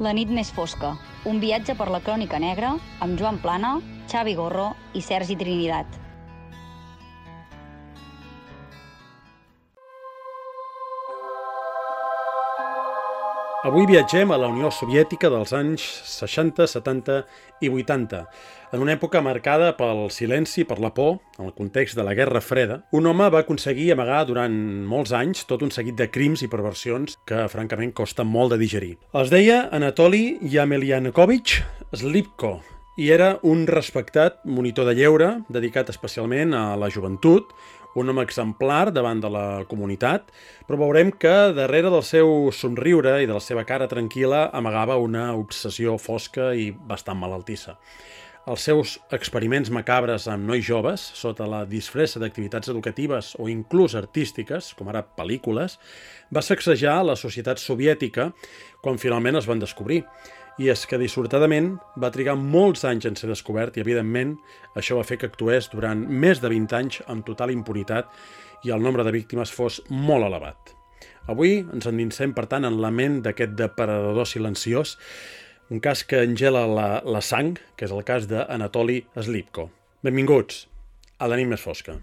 La nit més fosca, un viatge per la crònica negra amb Joan Plana, Xavi Gorro i Sergi Trinidad. Avui viatgem a la Unió Soviètica dels anys 60, 70 i 80, en una època marcada pel silenci, per la por, en el context de la Guerra Freda. Un home va aconseguir amagar durant molts anys tot un seguit de crims i perversions que, francament, costa molt de digerir. Els deia Anatoly Yemelyanovich Slipko i era un respectat monitor de lleure dedicat especialment a la joventut, un home exemplar davant de la comunitat, però veurem que darrere del seu somriure i de la seva cara tranquil·la amagava una obsessió fosca i bastant malaltissa. Els seus experiments macabres amb nois joves, sota la disfressa d'activitats educatives o inclús artístiques, com ara pel·lícules, va sacsejar la societat soviètica quan finalment es van descobrir. I és que, dissortadament, va trigar molts anys en ser descobert i, evidentment, això va fer que actués durant més de 20 anys amb total impunitat i el nombre de víctimes fos molt elevat. Avui ens endinsem, per tant, en la ment d'aquest depredador silenciós, un cas que engela la sang, que és el cas d'Anatoly Slipko. Benvinguts a La nit més fosca.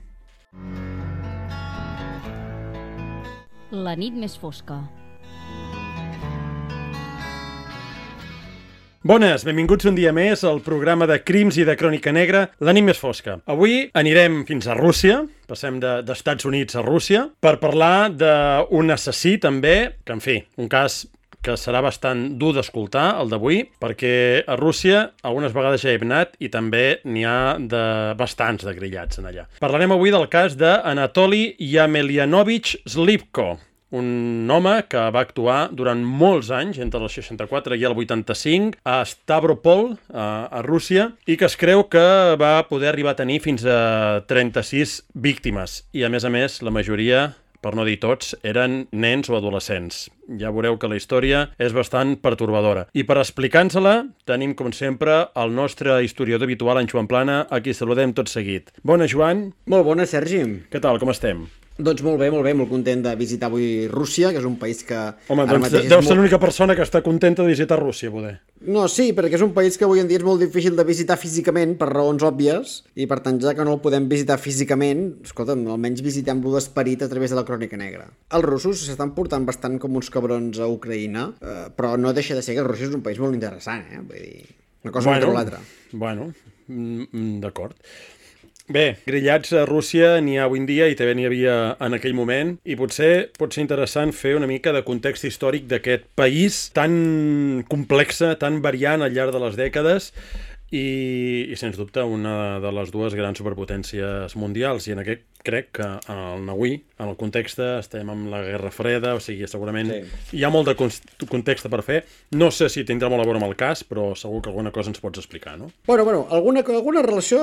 La nit més fosca. Bones, benvinguts un dia més al programa de crims i de crònica negra, La nit més fosca. Avui anirem fins a Rússia, passem d'Estats Units a Rússia, per parlar d'un assassí també, que en fi, un cas que serà bastant dur d'escoltar, el d'avui, perquè a Rússia algunes vegades ja he anat i també n'hi ha de bastants de grillats en allà. Parlarem avui del cas d'Anatoly Yemelyanovich Slipko, un home que va actuar durant molts anys, entre el 64 i el 85, a Stavropol, a Rússia, i que es creu que va poder arribar a tenir fins a 36 víctimes. I, a més, la majoria, per no dir tots, eren nens o adolescents. Ja veureu que la història és bastant pertorbadora. I per explicar-nos-la, tenim, com sempre, el nostre historiador habitual, en Joan Plana, a qui saludem tot seguit. Bona, Joan. Molt bona, Sergi. Què tal, com estem? Doncs molt bé, molt content de visitar avui Rússia, que és un país que... Home, doncs deu ser l'única persona que està contenta de visitar Rússia, poder. No, sí, perquè és un país que avui en dia és molt difícil de visitar físicament, per raons òbvies, i per tant, ja que no el podem visitar físicament, escolta'm, almenys visitem-lo d'esperit a través de la crònica negra. Els russos s'estan portant bastant com uns cabrons a Ucraïna, però no deixa de ser que Rússia és un país molt interessant, Vull dir, una cosa contra l'altra. Bueno, d'acord. Bé, grillats a Rússia n'hi ha avui en dia i també n'hi havia en aquell moment i potser pot ser interessant fer una mica de context històric d'aquest país tan complexa, tan variant al llarg de les dècades i sens dubte una de les dues grans superpotències mundials i en aquest crec que avui en el context estem amb la Guerra Freda, o sigui, segurament hi ha molt de context per fer. No sé si tindrà molt a veure amb el cas, però segur que alguna cosa ens pots explicar, no? Bueno, alguna relació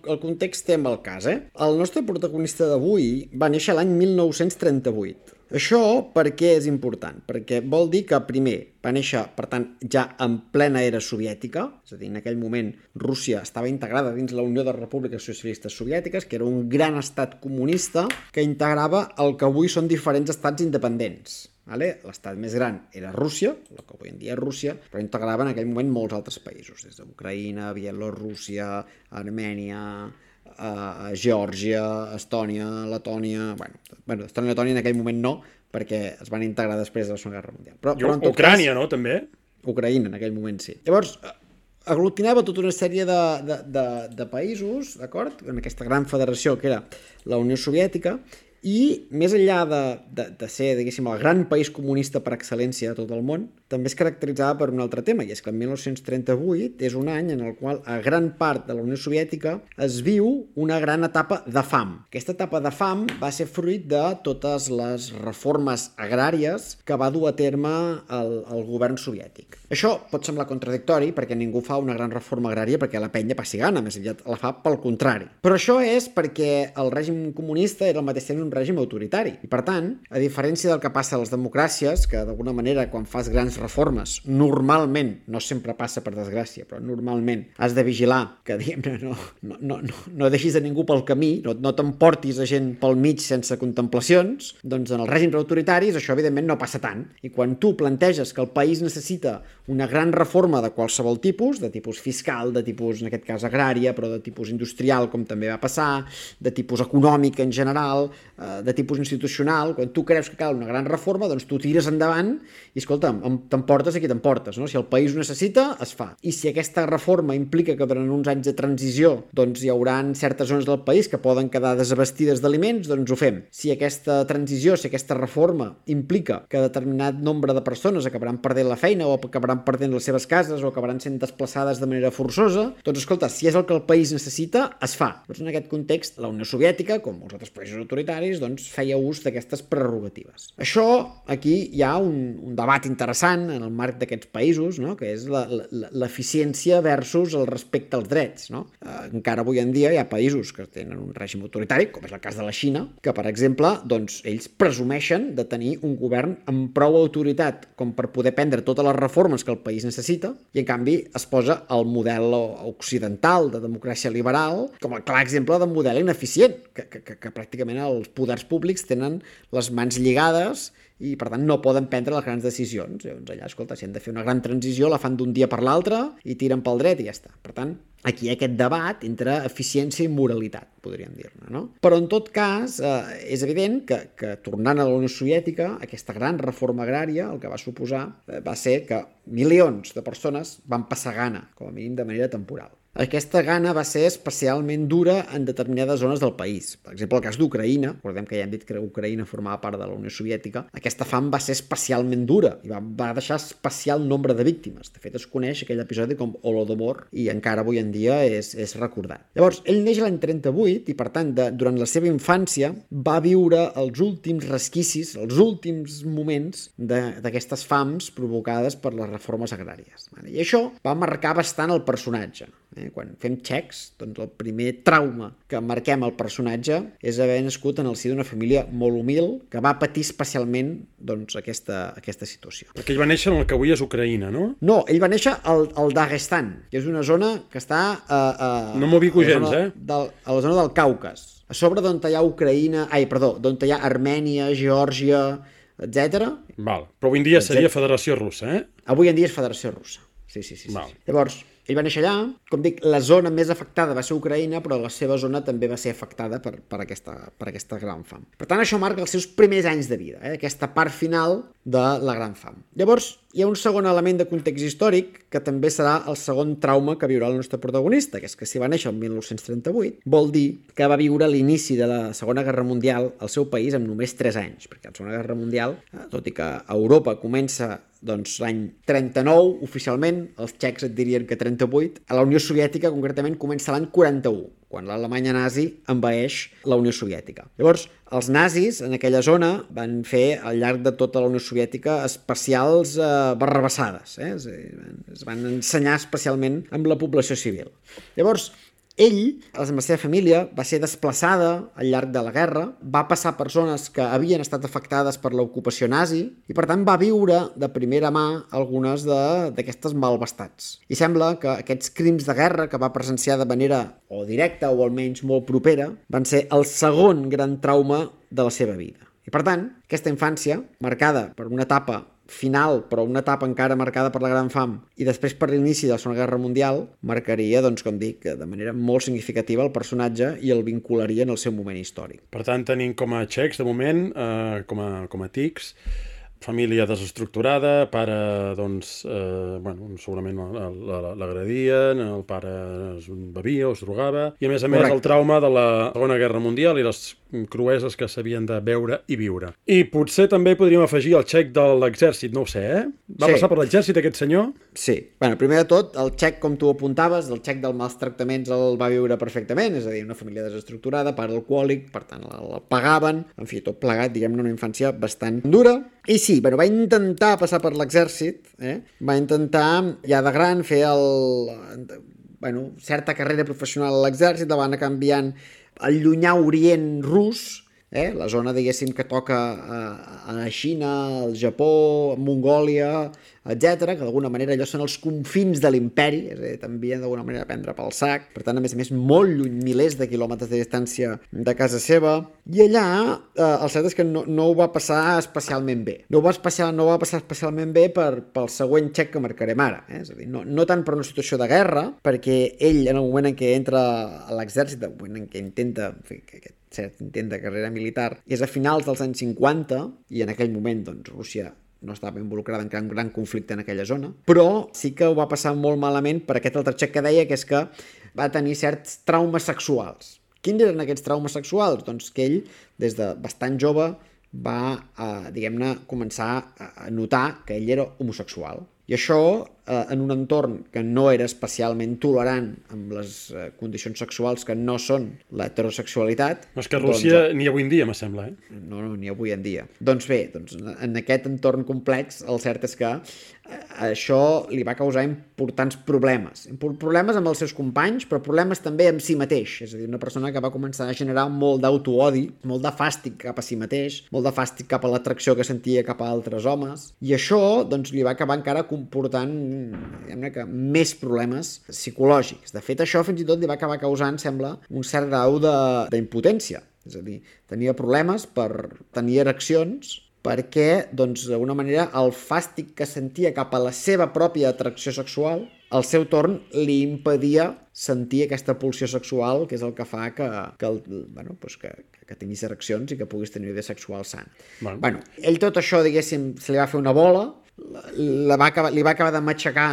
al context té amb el cas, El nostre protagonista d'avui va néixer l'any 1938. Això per què és important? Perquè vol dir que, primer, va néixer, per tant, ja en plena era soviètica, és a dir, en aquell moment Rússia estava integrada dins la Unió de Repúbliques Socialistes Soviètiques, que era un gran estat comunista que integrava el que avui són diferents estats independents. L'estat més gran era Rússia, el que avui en dia és Rússia, però integrava en aquell moment molts altres països, des d'Ucraïna, Bielorússia, Armènia, Geòrgia, Estònia, Letònia... Bueno, Estònia i Letònia en aquell moment no, perquè es van integrar després de la Segona Guerra Mundial. Però Ucrània, no, també? Ucraïna, en aquell moment, sí. Llavors, aglutinava tota una sèrie de països, d'acord? En aquesta gran federació que era la Unió Soviètica, i més enllà de ser, diguéssim, el gran país comunista per excel·lència de tot el món, també es caracteritzava per un altre tema, i és que el 1938 és un any en el qual a gran part de la Unió Soviètica es viu una gran etapa de fam. Aquesta etapa de fam va ser fruit de totes les reformes agràries que va dur a terme el govern soviètic. Això pot semblar contradictori perquè ningú fa una gran reforma agrària perquè la penya passi gana, més aviat la fa pel contrari. Però això és perquè el règim comunista era al mateix temps un règim autoritari. I per tant, a diferència del que passa a les democràcies, que d'alguna manera quan fas grans reformes, normalment, no sempre passa per desgràcia, però normalment has de vigilar que, diguem-ne, no deixis a ningú pel camí, no t'emportis a gent pel mig sense contemplacions, doncs en els règims autoritaris això evidentment no passa tant. I quan tu planteges que el país necessita una gran reforma de qualsevol tipus, de tipus fiscal, de tipus, en aquest cas, agrària, però de tipus industrial, com també va passar, de tipus econòmic en general, de tipus institucional, quan tu creus que cal una gran reforma, doncs tu tires endavant i, escolta'm, t'emportes a qui t'emportes, no? Si el país ho necessita, es fa. I si aquesta reforma implica que durant uns anys de transició doncs hi haurà certes zones del país que poden quedar desabastida d'aliments, doncs ho fem. Si aquesta transició, si aquesta reforma implica que determinat nombre de persones acabaran perdent la feina o acabaran perdent les seves cases o acabaran sent desplaçades de manera forçosa, doncs escolta, si és el que el país necessita, es fa. Doncs en aquest context, la Unió Soviètica, com molts altres països autoritaris, doncs feia ús d'aquestes prerrogatives. Això, aquí hi ha un debat interessant en el marc d'aquests països, no? Que és l'eficiència versus el respecte als drets, no? Encara avui en dia hi ha països que tenen un règim autoritari, com és el cas de la Xina, que, per exemple, doncs, ells presumeixen de tenir un govern amb prou autoritat com per poder prendre totes les reformes que el país necessita, i en canvi es posa el model occidental de democràcia liberal com el clar exemple de model ineficient, que pràcticament els poders públics tenen les mans lligades i, per tant, no poden prendre les grans decisions. Llavors, allà, escolta, si han de fer una gran transició, la fan d'un dia per l'altre i tiren pel dret i ja està. Per tant, aquí hi ha aquest debat entre eficiència i moralitat, podríem dir-ne, no? Però, en tot cas, és evident que tornant a la Unió Soviètica, aquesta gran reforma agrària, el que va suposar va ser que milions de persones van passar gana, com a mínim de manera temporal. Aquesta gana va ser especialment dura en determinades zones del país. Per exemple, el cas d'Ucraïna, recordem que ja hem dit que Ucraïna formava part de la Unió Soviètica, aquesta fam va ser especialment dura i va deixar especial nombre de víctimes. De fet, es coneix aquell episodi com Holodomor i encara avui en dia és recordat. Llavors, ell neix l'any 38 i, per tant, durant la seva infància va viure els últims resquicis, els últims moments d'aquestes fams provocades per les reformes agràries. I això va marcar bastant el personatge. Quan fem xecs, doncs el primer trauma que marquem al personatge és haver nascut en el si d'una família molt humil que va patir especialment doncs, aquesta situació. Perquè ell va néixer en el que avui és Ucraïna, no? No, ell va néixer al Daguestan, que és una zona que està no m'ho ubico gens, a la zona del Caucas. A sobre d'on hi ha d'on hi ha Armènia, Geòrgia, etc. Val, però avui en dia seria Federació Russa, eh? Avui en dia és Federació Russa. Sí. Llavors, ell va néixer allà, com dic, la zona més afectada va ser Ucraïna, però la seva zona també va ser afectada per aquesta gran fam. Per tant, això marca els seus primers anys de vida, aquesta part final de la gran fam. Llavors, hi ha un segon element de context històric que també serà el segon trauma que viurà el nostre protagonista, que és que si va néixer el 1938, vol dir que va viure l'inici de la Segona Guerra Mundial al seu país amb només 3 anys, perquè la Segona Guerra Mundial, tot i que a Europa comença l'any 39, oficialment, els txecs et dirien que 38, a la Unió Soviètica concretament comença l'any 41, quan l'Alemanya nazi envaeix la Unió Soviètica. Llavors, els nazis en aquella zona van fer al llarg de tota la Unió Soviètica especials barrabassades, es van ensenyar especialment amb la població civil. Llavors, ell, amb la seva família, va ser desplaçada al llarg de la guerra, va passar per zones que havien estat afectades per l'ocupació nazi i, per tant, va viure de primera mà algunes d'aquestes malvestats. I sembla que aquests crims de guerra que va presenciar de manera o directa o almenys molt propera van ser el segon gran trauma de la seva vida. I, per tant, aquesta infància, marcada per una etapa final, però una etapa encara marcada per la gran fam i després per l'inici de la Segona Guerra Mundial, marcaria, doncs, com dic, de manera molt significativa el personatge i el vincularia en el seu moment històric. Per tant, tenim com a txecs, de moment, com a tics, família desestructurada, pare, doncs, segurament l'agredien, el pare es bevia o es drogava, i a més el trauma de la Segona Guerra Mundial i les crueses que s'havien de veure i viure. I potser també podríem afegir el txec de l'exèrcit, no ho sé, Va passar per l'exèrcit aquest senyor? Sí. Primer de tot, el txec, com tu apuntaves, el txec dels mals tractaments el va viure perfectament, és a dir, una família desestructurada, pare alcohòlic, per tant, el pagaven, en fi, tot plegat, diguem-ne, una infància bastant dura. I sí, va intentar passar per l'exèrcit, va intentar, ja de gran, fer certa carrera professional a l'exèrcit, la va anar canviant al llunyà orient rus, la zona, diguéssim, que toca a la Xina, al Japó, Mongòlia, etc, que d'alguna manera allò són els confins de l'imperi, és a dir, també d'alguna manera prendre pel sac, per tant, a més, molt lluny, milers de quilòmetres de distància de casa seva, i allà el cert és que no ho va passar especialment bé. No ho va passar especialment bé pel següent xec que marcarem ara, és a dir, no tant per una situació de guerra, perquè ell, en el moment en què entra a l'exèrcit, en el moment en què intenta fer aquest intent de carrera militar, és a finals dels anys 50, i en aquell moment, doncs, Rússia no estava involucrada en gran conflicte en aquella zona, però sí que ho va passar molt malament per aquest altre xec que deia, que és que va tenir certs traumes sexuals. Quins eren aquests traumes sexuals? Doncs que ell, des de bastant jove, va, diguem-ne, començar a notar que ell era homosexual. I això, en un entorn que no era especialment tolerant amb les condicions sexuals que no són l'heterosexualitat... No, és que a Rússia ni avui en dia, me sembla, No, ni avui en dia. Doncs bé, en aquest entorn complex, el cert és que això li va causar importants problemes. Problemes amb els seus companys, però problemes també amb si mateix. És a dir, una persona que va començar a generar molt d'autoodi, molt de fàstic cap a si mateix, molt de fàstic cap a l'atracció que sentia cap a altres homes, i això doncs, li va acabar encara comportant que més problemes psicològics. De fet, això fins i tot li va acabar causant, sembla, un cert grau d'impotència. És a dir, tenia problemes per tenir ereccions perquè, doncs, d'alguna manera, el fàstic que sentia cap a la seva pròpia atracció sexual, al seu torn, li impedia sentir aquesta pulsió sexual, que és el que fa que tinguis ereccions i que puguis tenir vida sexual sana. Bueno, ell tot això, diguéssim, se li va fer una bola, li va acabar de matxacar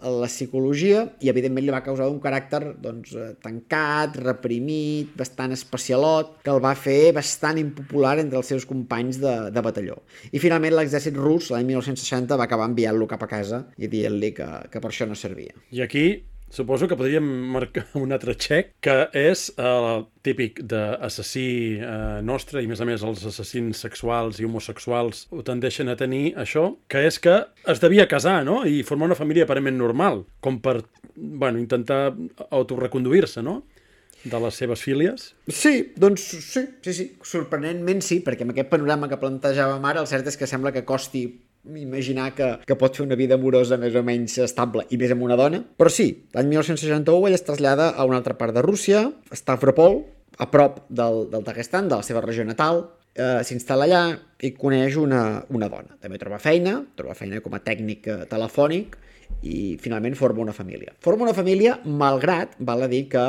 la psicologia i, evidentment, li va causar un caràcter tancat, reprimit, bastant especialot, que el va fer bastant impopular entre els seus companys de batalló. I, finalment, l'exèrcit rus, l'any 1960, va acabar enviant-lo cap a casa i dient-li que per això no servia. I aquí suposo que podríem marcar un altre xec, que és el típic d'assassí nostre, i, a més, els assassins sexuals i homosexuals ho tendeixen a tenir, això, que és que es devia casar, no?, i formar una família aparentment normal, com per, intentar autoreconduir-se, no?, de les seves fílies. Sí, doncs sí, sorprenentment sí, perquè amb aquest panorama que plantejàvem ara, el cert és que sembla que costi imaginar que pot fer una vida amorosa més o menys estable i més amb una dona, però sí, l'any 1961 ell es trasllada a una altra part de Rússia, a Stavropol, a prop del Daguestan, de la seva regió natal, s'instal·la allà i coneix una dona. També troba feina com a tècnic telefònic i finalment forma una família. Forma una família malgrat, val a dir, que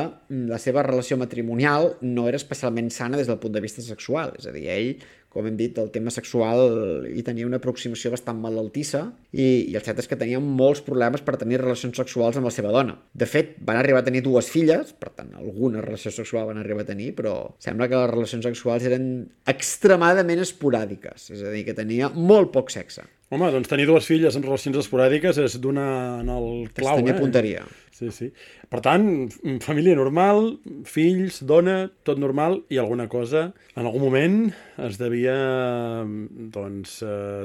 la seva relació matrimonial no era especialment sana des del punt de vista sexual, és a dir, ell, com hem dit, el tema sexual hi tenia una aproximació bastant malaltissa i el cert és que tenia molts problemes per tenir relacions sexuals amb la seva dona. De fet, van arribar a tenir 2 filles, per tant, alguna relació sexual van arribar a tenir, però sembla que les relacions sexuals eren extremadament esporàdiques, és a dir, que tenia molt poc sexe. Home, doncs tenir 2 filles en relacions esporàdiques és donar en el clau, tenia punteria. Sí. Per tant, família normal, fills, dona, tot normal, i alguna cosa en algun moment es devia,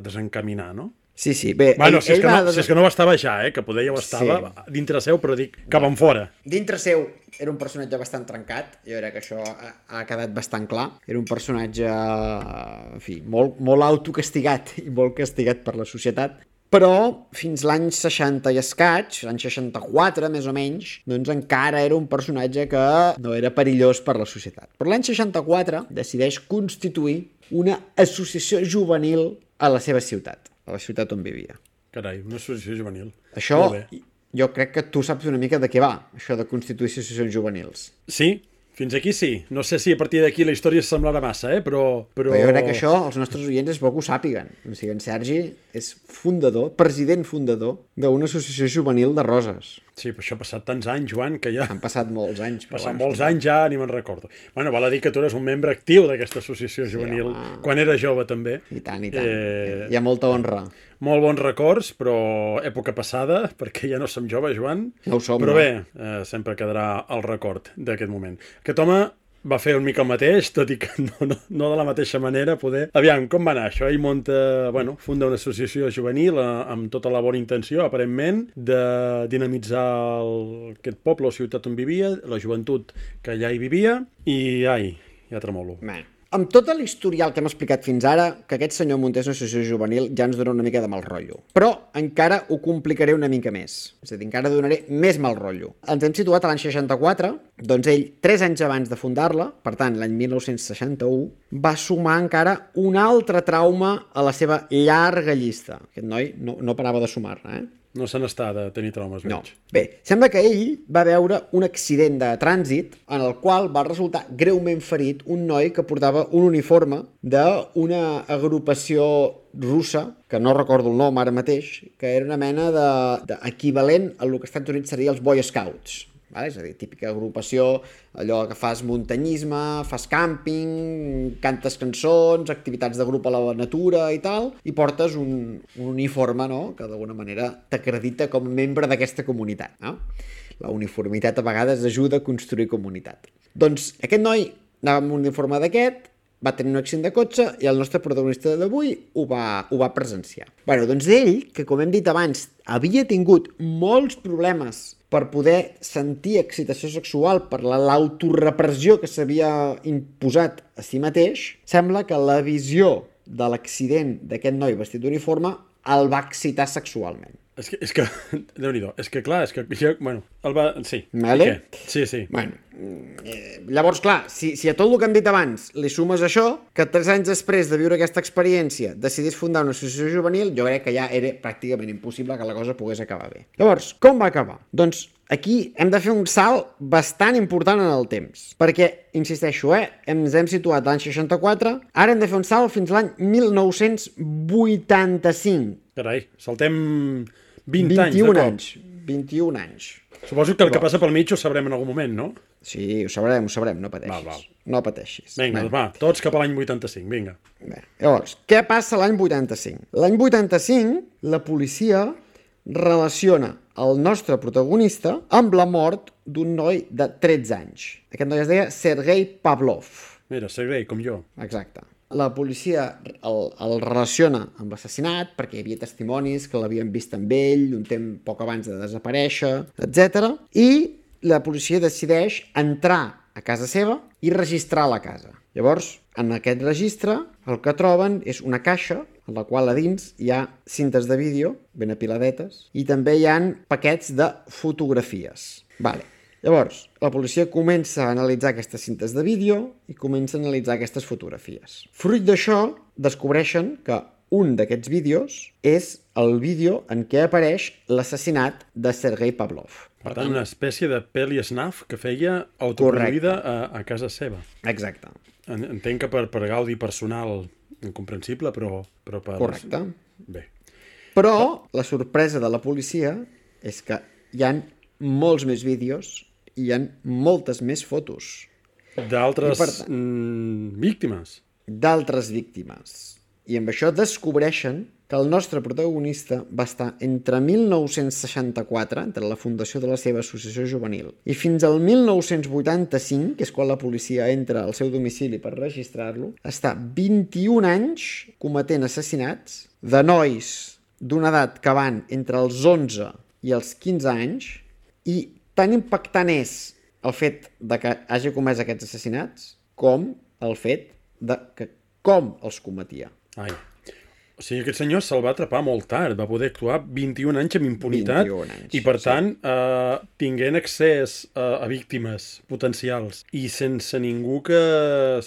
desencaminar, no? Sí, bé... Si és que no ho estava ja, que poder ja ho estava dintre seu, però dic que van fora. Dintre seu era un personatge bastant trencat, jo crec que això ha quedat bastant clar. Era un personatge, en fi, molt autocastigat i molt castigat per la societat, però fins l'any 60 i escaig, l'any 64 més o menys, doncs encara era un personatge que no era perillós per la societat. Però l'any 64 decideix constituir una associació juvenil a la seva ciutat, a la ciutat on vivia. Carai, una associació juvenil. Això, jo crec que tu saps una mica de què va, això de constituir associacions juvenils. Sí, fins aquí sí. No sé si a partir d'aquí la història semblarà massa, però... Però jo crec que això els nostres oients és bo que ho sàpiguen. O sigui, en Sergi és president fundador d'una associació juvenil de Roses. Sí, però això ha passat tants anys, Joan, que ja... Han passat molts anys. Molts anys ja, ni me'n recordo. Bueno, val a dir que tu eres un membre actiu d'aquesta associació juvenil, quan era jove també. I tant. Hi ha molta honra. Molt bons records, però època passada, perquè ja no som joves, Joan. No ho som, però bé, sempre quedarà el record d'aquest moment. Aquest home va fer una mica el mateix, tot i que no de la mateixa manera, poder... Aviam, com va anar això? Ell funda una associació juvenil amb tota la bona intenció, aparentment, de dinamitzar aquest poble o ciutat on vivia, la joventut que allà hi vivia, i ja tremolo. amb tot l'historial que hem explicat fins ara, que aquest senyor muntés una associació juvenil ja ens dona una mica de mal rotllo. Però encara ho complicaré una mica més. És a dir, encara donaré més mal rotllo. Ens hem situat a l'any 64, doncs ell, 3 anys abans de fundar-la, per tant, l'any 1961, va sumar encara un altre trauma a la seva llarga llista. Aquest noi no parava de sumar-ne, No se n'està de tenir traumes, veig. No. Bé, sembla que ell va veure un accident de trànsit en el qual va resultar greument ferit un noi que portava un uniforme d'una agrupació russa, que no recordo el nom ara mateix, que era una mena d'equivalent a el que als Estats Units seria els Boy Scouts. Vale? És a dir, típica agrupació, allò que fas muntanyisme, fas càmping, cantes cançons, activitats de grup a la natura i tal, i portes un uniforme, no?, que d'alguna manera t'acredita com a membre d'aquesta comunitat. No? La uniformitat a vegades ajuda a construir comunitat. Doncs aquest noi anava amb un uniforme d'aquest, va tenir un accident de cotxe i el nostre protagonista d'avui ho va presenciar. Bé, doncs ell, que com hem dit abans, havia tingut molts problemes per poder sentir excitació sexual per l'autorepressió que s'havia imposat a si mateix, sembla que la visió de l'accident d'aquest noi vestit d'uniforme el va excitar sexualment. És que Déu-n'hi-do, és que clar, és que jo, bueno, el va... Sí. Vale? Sí. Bueno, llavors, clar, si a tot el que hem dit abans li sumes això, que 3 anys després de viure aquesta experiència decidís fundar una associació juvenil, jo crec que ja era pràcticament impossible que la cosa pogués acabar bé. Llavors, com va acabar? Doncs aquí hem de fer un salt bastant important en el temps, perquè, insisteixo, ens hem situat l'any 64, ara hem de fer un salt fins l'any 1985. Carai, saltem 20 anys de cop. 21 anys. Suposo que el que passa pel mig ho sabrem en algun moment, no? Sí, ho sabrem, no pateixis. Val. No pateixis. Vinga, doncs va, tots cap a l'any 85, vinga. Bé. Llavors, què passa l'any 85? L'any 85, la policia relaciona el nostre protagonista amb la mort d'un noi de 13 anys. Aquest noi es deia Sergei Pavlov. Mira, Sergei, com jo. Exacte. La policia el relaciona amb l'assassinat perquè hi havia testimonis que l'havien vist amb ell un temps poc abans de desaparèixer, etc. I la policia decideix entrar a casa seva i registrar la casa. Llavors, en aquest registre, el que troben és una caixa en la qual a dins hi ha cintes de vídeo ben apiladetes i també hi ha paquets de fotografies. Vale. Llavors, la policia comença a analitzar aquestes cintes de vídeo i comença a analitzar aquestes fotografies. Fruit d'això, descobreixen que un d'aquests vídeos és el vídeo en què apareix l'assassinat de Sergei Pavlov. Per tant, una espècie de peli snaf que feia autoproduïda a casa seva. Exacte. Entenc que per gaudi personal incomprensible, però per... Correcte. Bé. Però la sorpresa de la policia és que hi ha molts més vídeos i hi ha moltes més fotos. D'altres víctimes. D'altres víctimes. I amb això descobreixen que el nostre protagonista va estar entre 1964, entre la fundació de la seva associació juvenil, i fins al 1985, que és quan la policia entra al seu domicili per registrar-lo, està 21 anys cometent assassinats de nois d'una edat que van entre els 11 i els 15 anys, i tan impactant és el fet de que hagi comès aquests assassinats com el fet de que com els cometia. Ai. O sigui, aquest senyor se'l va atrapar molt tard, va poder actuar 21 anys amb impunitat 21 anys, i, per tant, tinguent accés a víctimes potencials i sense ningú que...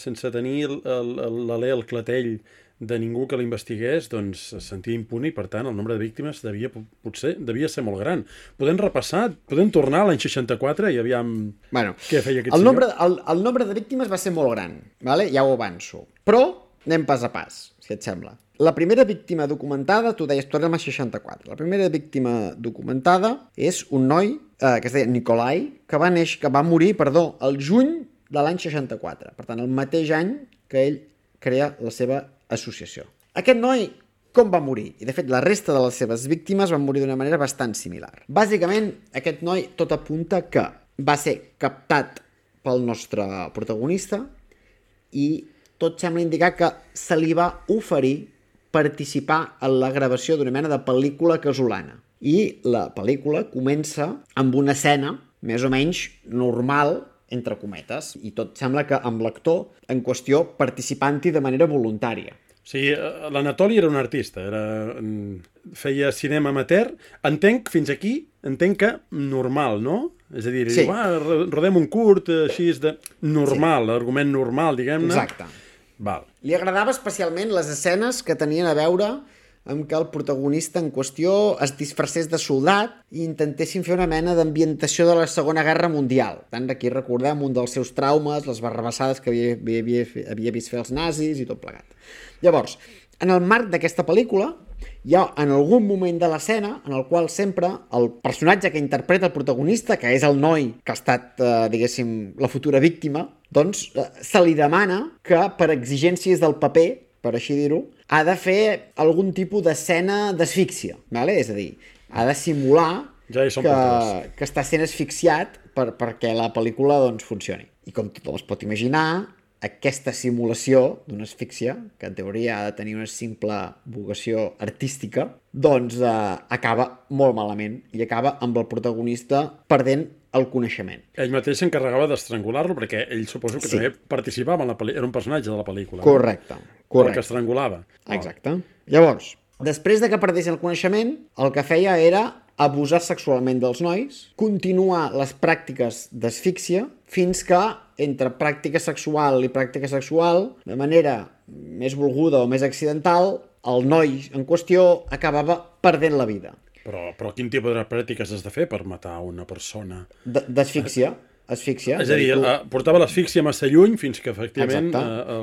sense tenir l'alè, el clatell de ningú que l'investigués, doncs es sentia impune i, per tant, el nombre de víctimes devia ser molt gran. Podem repassar, podem tornar a l'any 64 i aviam què feia aquest senyor? El nombre de víctimes va ser molt gran, vale? Ja ho avanço. Però anem pas a pas, si et sembla. La primera víctima documentada, tu deies, tornem a 64. La primera víctima documentada és un noi que es deia Nikolai, que va morir el juny de l'any 64. Per tant, el mateix any que ell crea la seva associació. Aquest noi com va morir? I, de fet, la resta de les seves víctimes van morir d'una manera bastant similar. Bàsicament, aquest noi tot apunta que va ser captat pel nostre protagonista i tot sembla indicar que se li va oferir participar en la gravació d'una mena de pel·lícula casolana. I la pel·lícula comença amb una escena més o menys normal entre cometes, i tot sembla que amb l'actor en qüestió participant-hi de manera voluntària. O sigui, l'Anatoli era un artista, feia cinema amateur. Entenc que normal, no? És a dir, sí. Rodem un curt, així de normal, sí. Argument normal, diguem-ne. Exacte. Val. Li agradava especialment les escenes que tenien a veure amb que el protagonista en qüestió es disfressés de soldat i intentessin fer una mena d'ambientació de la Segona Guerra Mundial. Tant aquí recordem un dels seus traumes, les barrabassades que havia vist fer els nazis i tot plegat. Llavors, en el marc d'aquesta pel·lícula, hi ha en algun moment de l'escena en el qual sempre el personatge que interpreta el protagonista, que és el noi que ha estat, diguéssim, la futura víctima, doncs se li demana que per exigències del paper, per així dir-ho, ha de fer algun tipus d'escena d'asfíxia, ¿vale? És a dir, ha de simular que està sent asfixiat perquè la pel·lícula doncs, funcioni. I com tothom es pot imaginar, aquesta simulació d'una asfíxia, que en teoria ha de tenir una simple vocació artística, doncs acaba molt malament i acaba amb el protagonista perdent el coneixement. Ell mateix s'encarregava d'estrangular-lo perquè ell suposo que també participava en la pel·lícula, era un personatge de la pel·lícula. Correcte. El que estrangulava. Exacte. Llavors, després de que perdés el coneixement, el que feia era abusar sexualment dels nois, continuar les pràctiques d'asfíxia fins que entre pràctica sexual i pràctica sexual, de manera més volguda o més accidental, el noi en qüestió acabava perdent la vida. Però quin tipus de pràctiques has de fer per matar una persona? D'asfíxia. Asfíxia. És a dir, portava l'asfíxia massa lluny fins que efectivament...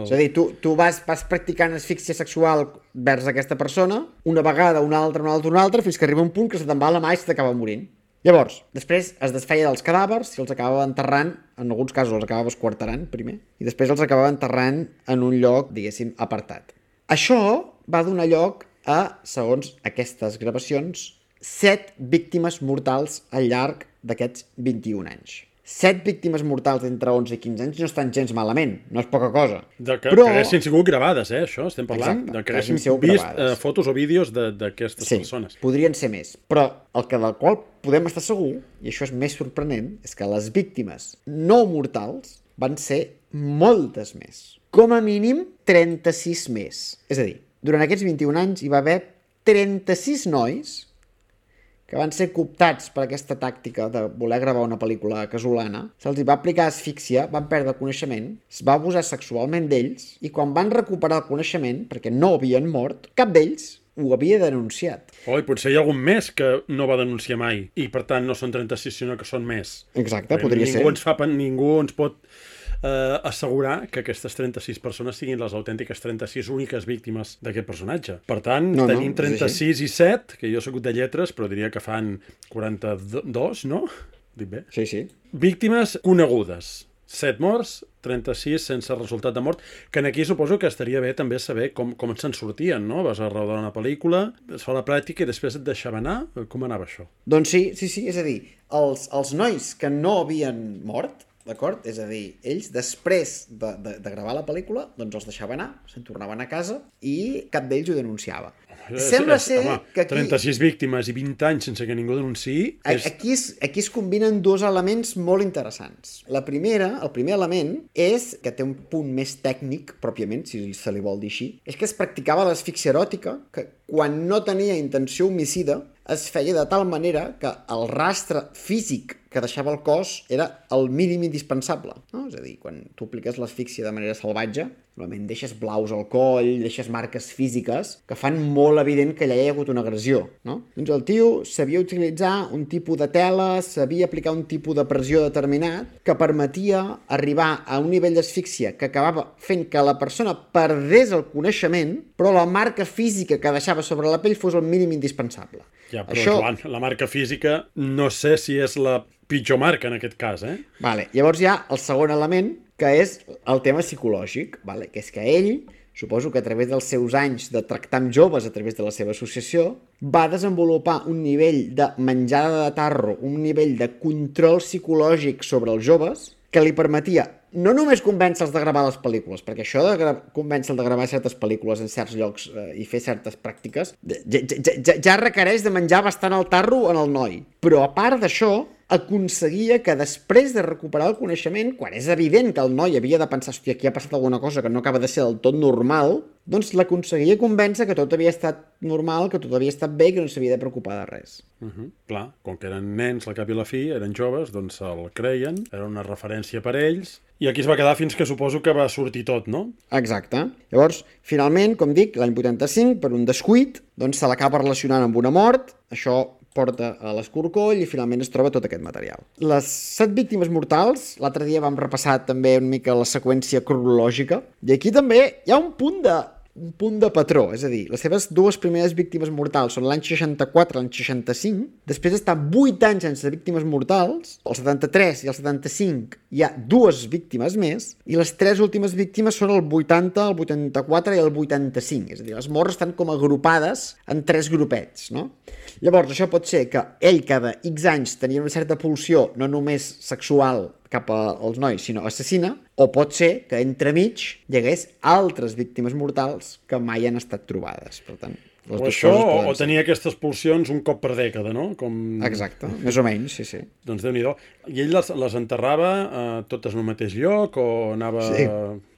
És a dir, tu vas practicant asfíxia sexual vers aquesta persona, una vegada, una altra, fins que arriba un punt que se te'n va la mà i se t'acaba morint. Llavors, després es desfeia dels cadàvers i els acabava enterrant, en alguns casos els acabava esquarterant primer, i després els acabava enterrant en un lloc, diguéssim, apartat. Això va donar lloc a, segons aquestes gravacions, 7 víctimes mortals al llarg d'aquests 21 anys. 7 víctimes mortals entre 11 i 15 anys no estan gens malament, no és poca cosa. Que haguessin sigut gravades, això estem parlant? Exacte, de que haguessin vist fotos o vídeos d'aquestes persones. Sí, podrien ser més. Però del qual podem estar segur, i això és més sorprenent, és que les víctimes no mortals van ser moltes més. Com a mínim 36 més. És a dir, durant aquests 21 anys hi va haver 36 nois que van ser cooptats per aquesta tàctica de voler gravar una pel·lícula casolana, se'ls va aplicar asfíxia, van perdre el coneixement, es va abusar sexualment d'ells, i quan van recuperar el coneixement, perquè no havien mort, cap d'ells ho havia denunciat. I potser hi ha algun més que no va denunciar mai, i per tant no són 36, sinó que són més. Exacte, podria ser. Ningú ens pot assegurar que aquestes 36 persones siguin les autèntiques 36 úniques víctimes d'aquest personatge. Per tant, tenim 36 i 7, que jo soc de lletres, però diria que fan 42, no? Dic bé? Sí, sí. Víctimes conegudes. 7 morts, 36 sense resultat de mort, que aquí suposo que estaria bé també saber com se'n sortien, no? Vas a rodar una pel·lícula, es fa la pràctica i després et deixava anar? Com anava això? Doncs sí, és a dir, els nois que no havien mort, d'acord? És a dir, ells després de gravar la pel·lícula, doncs els deixaven anar, se'n tornaven a casa i cap d'ells ho denunciava. Sembla ser que aquí... 36 víctimes i 20 anys sense que ningú denunciï... Aquí es combinen dos elements molt interessants. El primer element és, que té un punt més tècnic, pròpiament, si se li vol dir així, és que es practicava l'asfíxia eròtica, que quan no tenia intenció homicida, es feia de tal manera que el rastre físic que deixava el cos era el mínim indispensable. No? És a dir, quan tu apliques l'asfíxia de manera salvatge, normalment deixes blaus al coll, deixes marques físiques que fan molt evident que allà hi ha hagut una agressió. No? Doncs el tio sabia utilitzar un tipus de tela, sabia aplicar un tipus de pressió determinat que permetia arribar a un nivell d'asfíxia que acabava fent que la persona perdés el coneixement, però la marca física que deixava sobre la pell fos el mínim indispensable. Ja, però Joan, la marca física no sé si és la pitjor marca en aquest cas, eh? Vale. Llavors hi ha el segon element, que és el tema psicològic, vale? Que és que ell, suposo que a través dels seus anys de tractar amb joves a través de la seva associació, va desenvolupar un nivell de menjada de tarro, un nivell de control psicològic sobre els joves, que li permetia no només convèncer-los de gravar les pel·lícules, perquè això de convèncer-los de gravar certes pel·lícules en certs llocs i fer certes pràctiques ja requereix de menjar bastant el tarro en el noi. Però a part d'això, aconseguia que després de recuperar el coneixement, quan és evident que el noi havia de pensar, hòstia, aquí ha passat alguna cosa que no acaba de ser del tot normal, doncs l'aconseguia convèncer que tot havia estat normal, que tot havia estat bé i que no s'havia de preocupar de res. Clar, com que eren nens al cap i la fi, eren joves, doncs se'l creien, era una referència per ells, i aquí es va quedar fins que suposo que va sortir tot, no? Exacte. Llavors, finalment, com dic, l'any 85, per un descuit, doncs se l'acaba relacionant amb una mort, això porta a l'escorcoll i finalment es troba tot aquest material. Les 7 víctimes mortals, l'altre dia vam repassar també una mica la seqüència cronològica, i aquí també hi ha un punt de patró, és a dir, les seves 2 primeres víctimes mortals són l'any 64 i l'any 65, després d'estar 8 anys sense víctimes mortals, el 73 i el 75 hi ha 2 víctimes més, i les 3 últimes víctimes són el 80, el 84 i el 85, és a dir, les morts estan com agrupades en 3 grupets, no? Llavors, això pot ser que ell cada X anys tenia una certa pulsió, no només sexual cap als nois, sinó assassina, o pot ser que entremig hi hagués altres víctimes mortals que mai han estat trobades. Per tant, o això, o tenia aquestes pulsions un cop per dècada, no? Exacte, més o menys, sí. Doncs Déu-n'hi-do. I ell les enterrava totes en un mateix lloc o anava... Sí.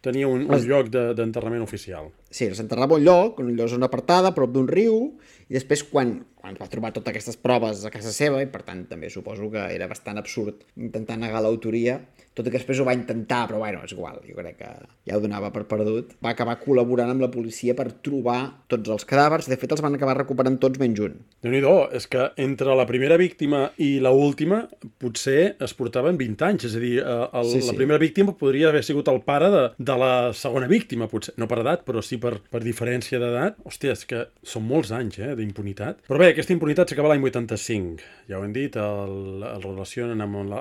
Tenia un lloc d'enterrament oficial? Sí, les enterrava un lloc, en una zona apartada, a prop d'un riu, i després quan va trobar totes aquestes proves a casa seva, i per tant també suposo que era bastant absurd intentar negar l'autoria, tot i que després ho va intentar, però bueno, és igual, jo crec que ja ho donava per perdut. Va acabar col·laborant amb la policia per trobar tots els cadàvers, de fet els van acabar recuperant tots menys un. Déu-n'hi-do, és que entre la primera víctima i la última potser es portaven 20 anys, és a dir, la primera víctima podria haver sigut el pare de la segona víctima, potser, no per edat, però sí per diferència d'edat. Hòstia, és que són molts anys, d'impunitat. Però bé, aquesta impunitat s'acaba l'any 85, ja ho hem dit, el relacionen amb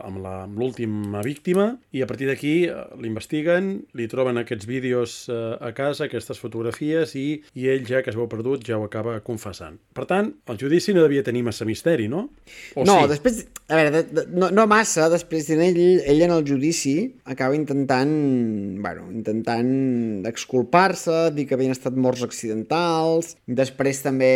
l'última víctima, i a partir d'aquí l'investiguen, li troben aquests vídeos a casa, aquestes fotografies, i ell ja, que es veu perdut, ja ho acaba confessant. Per tant, el judici no devia tenir massa misteri, no? O no, sí? Després, a veure, no massa, després ell en el judici acaba intentant exculpar-se, dir que havien estat morts accidentals, després també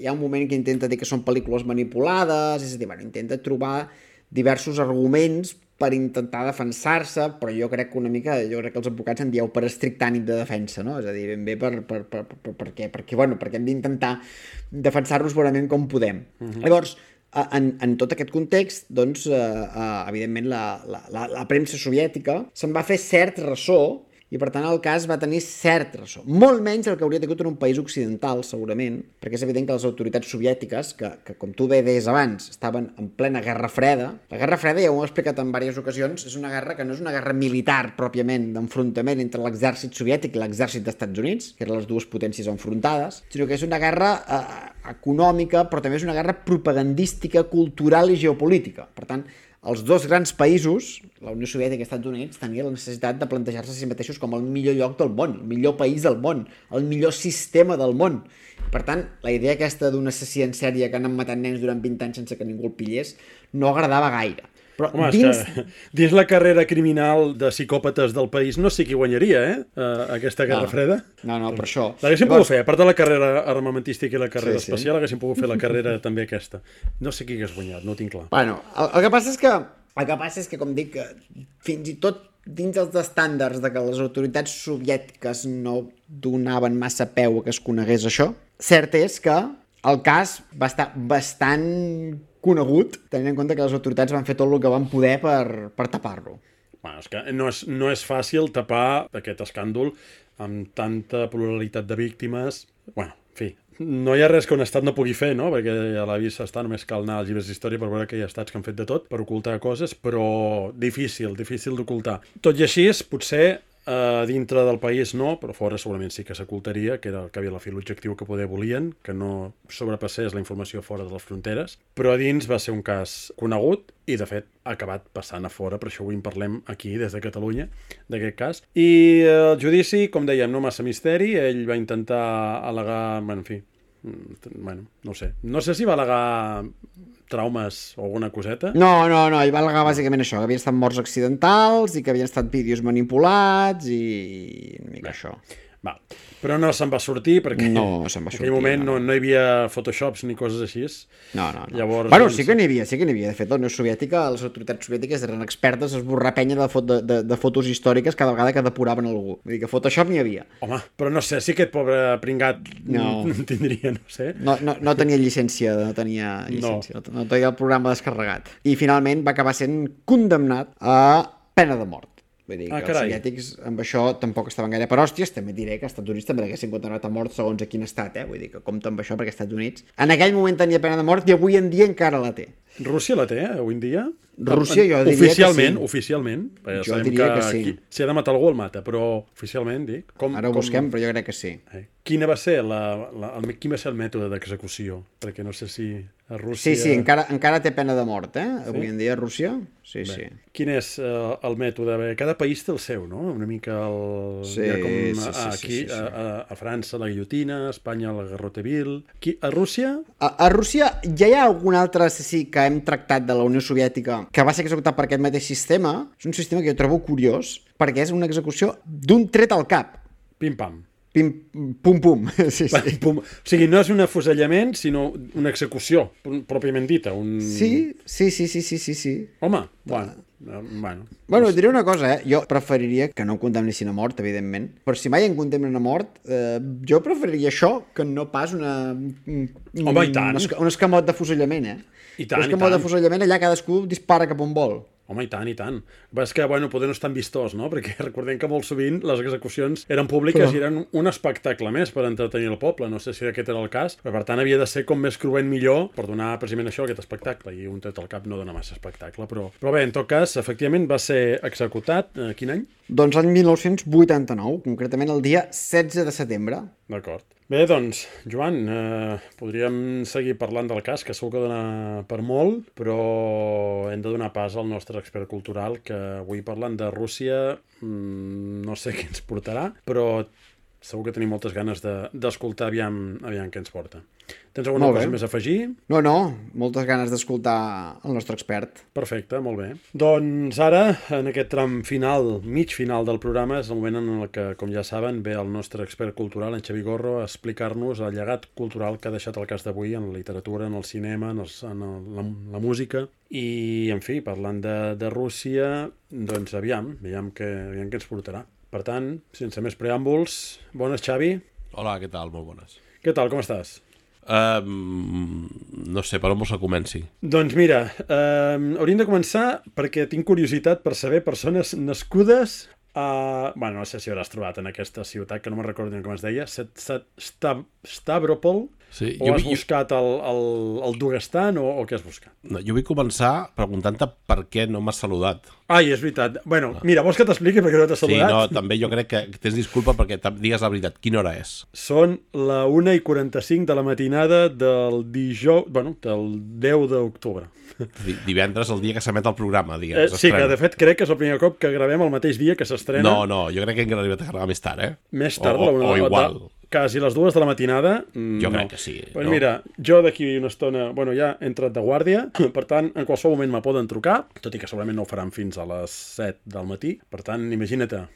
hi ha un moment que intenta dir que són pel·lícules manipulades, és a dir, intenta trobar diversos arguments per intentar defensar-se, però jo crec que els advocats en dieu per estricte ànim de defensa, no? És a dir, ben bé perquè hem d'intentar defensar-nos bonament com podem. Llavors, en tot aquest context, doncs, evidentment, la premsa soviètica se'n va fer cert ressò, i per tant el cas va tenir cert ressò. Molt menys el que hauria tingut en un país occidental, segurament, perquè és evident que les autoritats soviètiques, que com tu bé deies abans, estaven en plena Guerra Freda. La Guerra Freda, ja ho he explicat en diverses ocasions, és una guerra que no és una guerra militar pròpiament, d'enfrontament entre l'exèrcit soviètic i l'exèrcit dels Estats Units, que eren les dues potències enfrontades, sinó que és una guerra econòmica, però també és una guerra propagandística, cultural i geopolítica. Per tant, els dos grans països, la Unió Soviètica i els Estats Units, tenien la necessitat de plantejar-se a si mateixos com el millor lloc del món, el millor país del món, el millor sistema del món. Per tant, la idea aquesta d'un assassí en sèrie que han matat nens durant 20 anys sense que ningú el pillés no agradava gaire. Però home, és que dins la carrera criminal de psicòpates del país no sé qui guanyaria, aquesta Guerra Freda. No, per això. L'haguéssim pogut fer, a part de la carrera armamentística i la carrera espacial, haguéssim pogut fer la carrera també aquesta. No sé qui hagués guanyat, no ho tinc clar. Bueno, el que passa és que, com dic, fins i tot dins els estàndards de que les autoritats soviètiques no donaven massa peu a que es conegués això, cert és que el cas va estar bastant conegut, tenint en compte que les autoritats van fer tot el que van poder per tapar-lo. Bueno, és que no és fàcil tapar aquest escàndol amb tanta pluralitat de víctimes. Bueno, en fi, no hi ha res que un estat no pugui fer, no? Perquè a la vista està, només cal anar als llibres d'història per veure que hi ha estats que han fet de tot per ocultar coses, però difícil d'ocultar. Tot i així, potser dintre del país no, però fora segurament sí que s'ocultaria, que era el que havia la fi l'objectiu que poder volien, que no sobrepassés la informació fora de les fronteres, però a dins va ser un cas conegut i, de fet, ha acabat passant a fora, per això avui en parlem aquí, des de Catalunya, d'aquest cas. I el judici, com dèiem, no massa misteri, ell va intentar al·legar, no sé. No sé si va al·legar traumes o alguna coseta? No, ell va al·legar bàsicament això, que havien estat morts accidentals i que havien estat vídeos manipulats i una mica això. Va. Però no se'n va sortir perquè No se'n va en sortir, aquell moment no. no hi havia Photoshops ni coses així. No. Llavors, Bueno, doncs... sí que n'hi havia. De fet, la Unió Soviètica, les autoritats soviètiques eren expertes a esborrar penya de fotos històriques cada vegada que depuraven algú. Vull dir que Photoshop n'hi havia. Home, però no sé, si aquest pobre pringat No. tindria, no sé. No tenia llicència, no tenia el programa descarregat. I finalment va acabar sent condemnat a pena de mort. Vull dir que els soviètics amb això tampoc estaven gaire per hòsties. També diré que als Estats Units també l'haguessin condemnat a mort segons a quin estat, Vull dir que compta amb això perquè als Estats Units en aquell moment tenia pena de mort i avui en dia encara la té. Rússia la té, avui en dia? Rússia jo diria oficialment, que sí. Oficialment. Jo diria que sí. Si ha de matar algú el mata, però oficialment, dic... Ara ho busquem, però jo crec que sí. Quin va ser el mètode d'execució? Perquè no sé si a Rússia... Sí, encara té pena de mort, Avui en dia a Rússia, sí. Quin és el mètode? Cada país té el seu, no? Una mica el... Sí. A França la guillotina, a Espanya la garrotevil... A Rússia? A Rússia ja hi ha algun altre assassí que hem tractat de la Unió Soviètica que va ser executat per aquest mateix sistema. És un sistema que jo trobo curiós perquè és una execució d'un tret al cap. Pim-pam. Pum-pum. Sí. Pum. O sigui, no és un afusellament, sinó una execució, pròpiament dita. Sí. Home, bueno. Bueno, et diré una cosa, Jo preferiria que no em condemnessin a mort, evidentment, però si mai em condemnen a mort, jo preferiria això que no pas Home, i tant. un escamot d'afusellament, I tant, un escamot d'afusellament allà cadascú dispara cap on vol. Home, i tant. És que, poder no és tan vistós, no? Perquè recordem que molt sovint les execucions eren públiques i eren un espectacle més per entretenir el poble. No sé si aquest era el cas, però per tant havia de ser com més cruent millor per donar precisament això, aquest espectacle. I un tret al cap no dona massa espectacle. Però bé, en tot cas, efectivament va ser executat. Quin any? Doncs l'any 1989, concretament el dia 16 de setembre. D'acord. Bé, doncs, Joan, podríem seguir parlant del cas, que segur que dona per molt, però hem de donar pas al nostre expert cultural, que avui parlant de Rússia no sé què ens portarà, però segur que tenim moltes ganes d'escoltar aviam què ens porta. Tens alguna cosa més a afegir? No, moltes ganes d'escoltar el nostre expert. Perfecte, molt bé. Doncs ara, en aquest tram final, mig final del programa, és el moment en el que, com ja saben, ve el nostre expert cultural, en Xavi Gorro, a explicar-nos el llegat cultural que ha deixat el cas d'avui en la literatura, en el cinema, en la música. I, en fi, parlant de Rússia, doncs aviam què ens portarà. Per tant, sense més preàmbuls, bones, Xavi. Hola, què tal? Molt bones. Què tal, com estàs? No sé, per on vols que comenci? Doncs mira, hauríem de començar perquè tinc curiositat per saber persones nascudes a... no sé si hauràs trobat en aquesta ciutat, que no me'n recordo com es deia, Stavropol, sí, o has buscat el Daguestan o què has buscat? No, jo vull començar preguntant-te per què no m'has saludat. Ai, és veritat. Bueno, mira, vols que t'expliqui per què no t'has saludat? Sí, no, també jo crec que tens disculpa perquè digues la veritat. Quina hora és? Són la 1:45 de la matinada del dijous... del 10 d'octubre. Divendres, el dia que s'emet el programa, diguem. Sí, que de fet crec que és el primer cop que gravem el mateix dia que s'estrena. No, jo crec que hem arribat a gravar més tard, Més tard, o igual. Quasi les 2 de la matinada. Jo crec que sí. Pues mira, jo d'aquí una estona... ja he entrat de guàrdia, per tant, en qualsevol moment me poden trucar, tot i que segurament no ho faran fins a les 7 del matí. Per tant, imagina't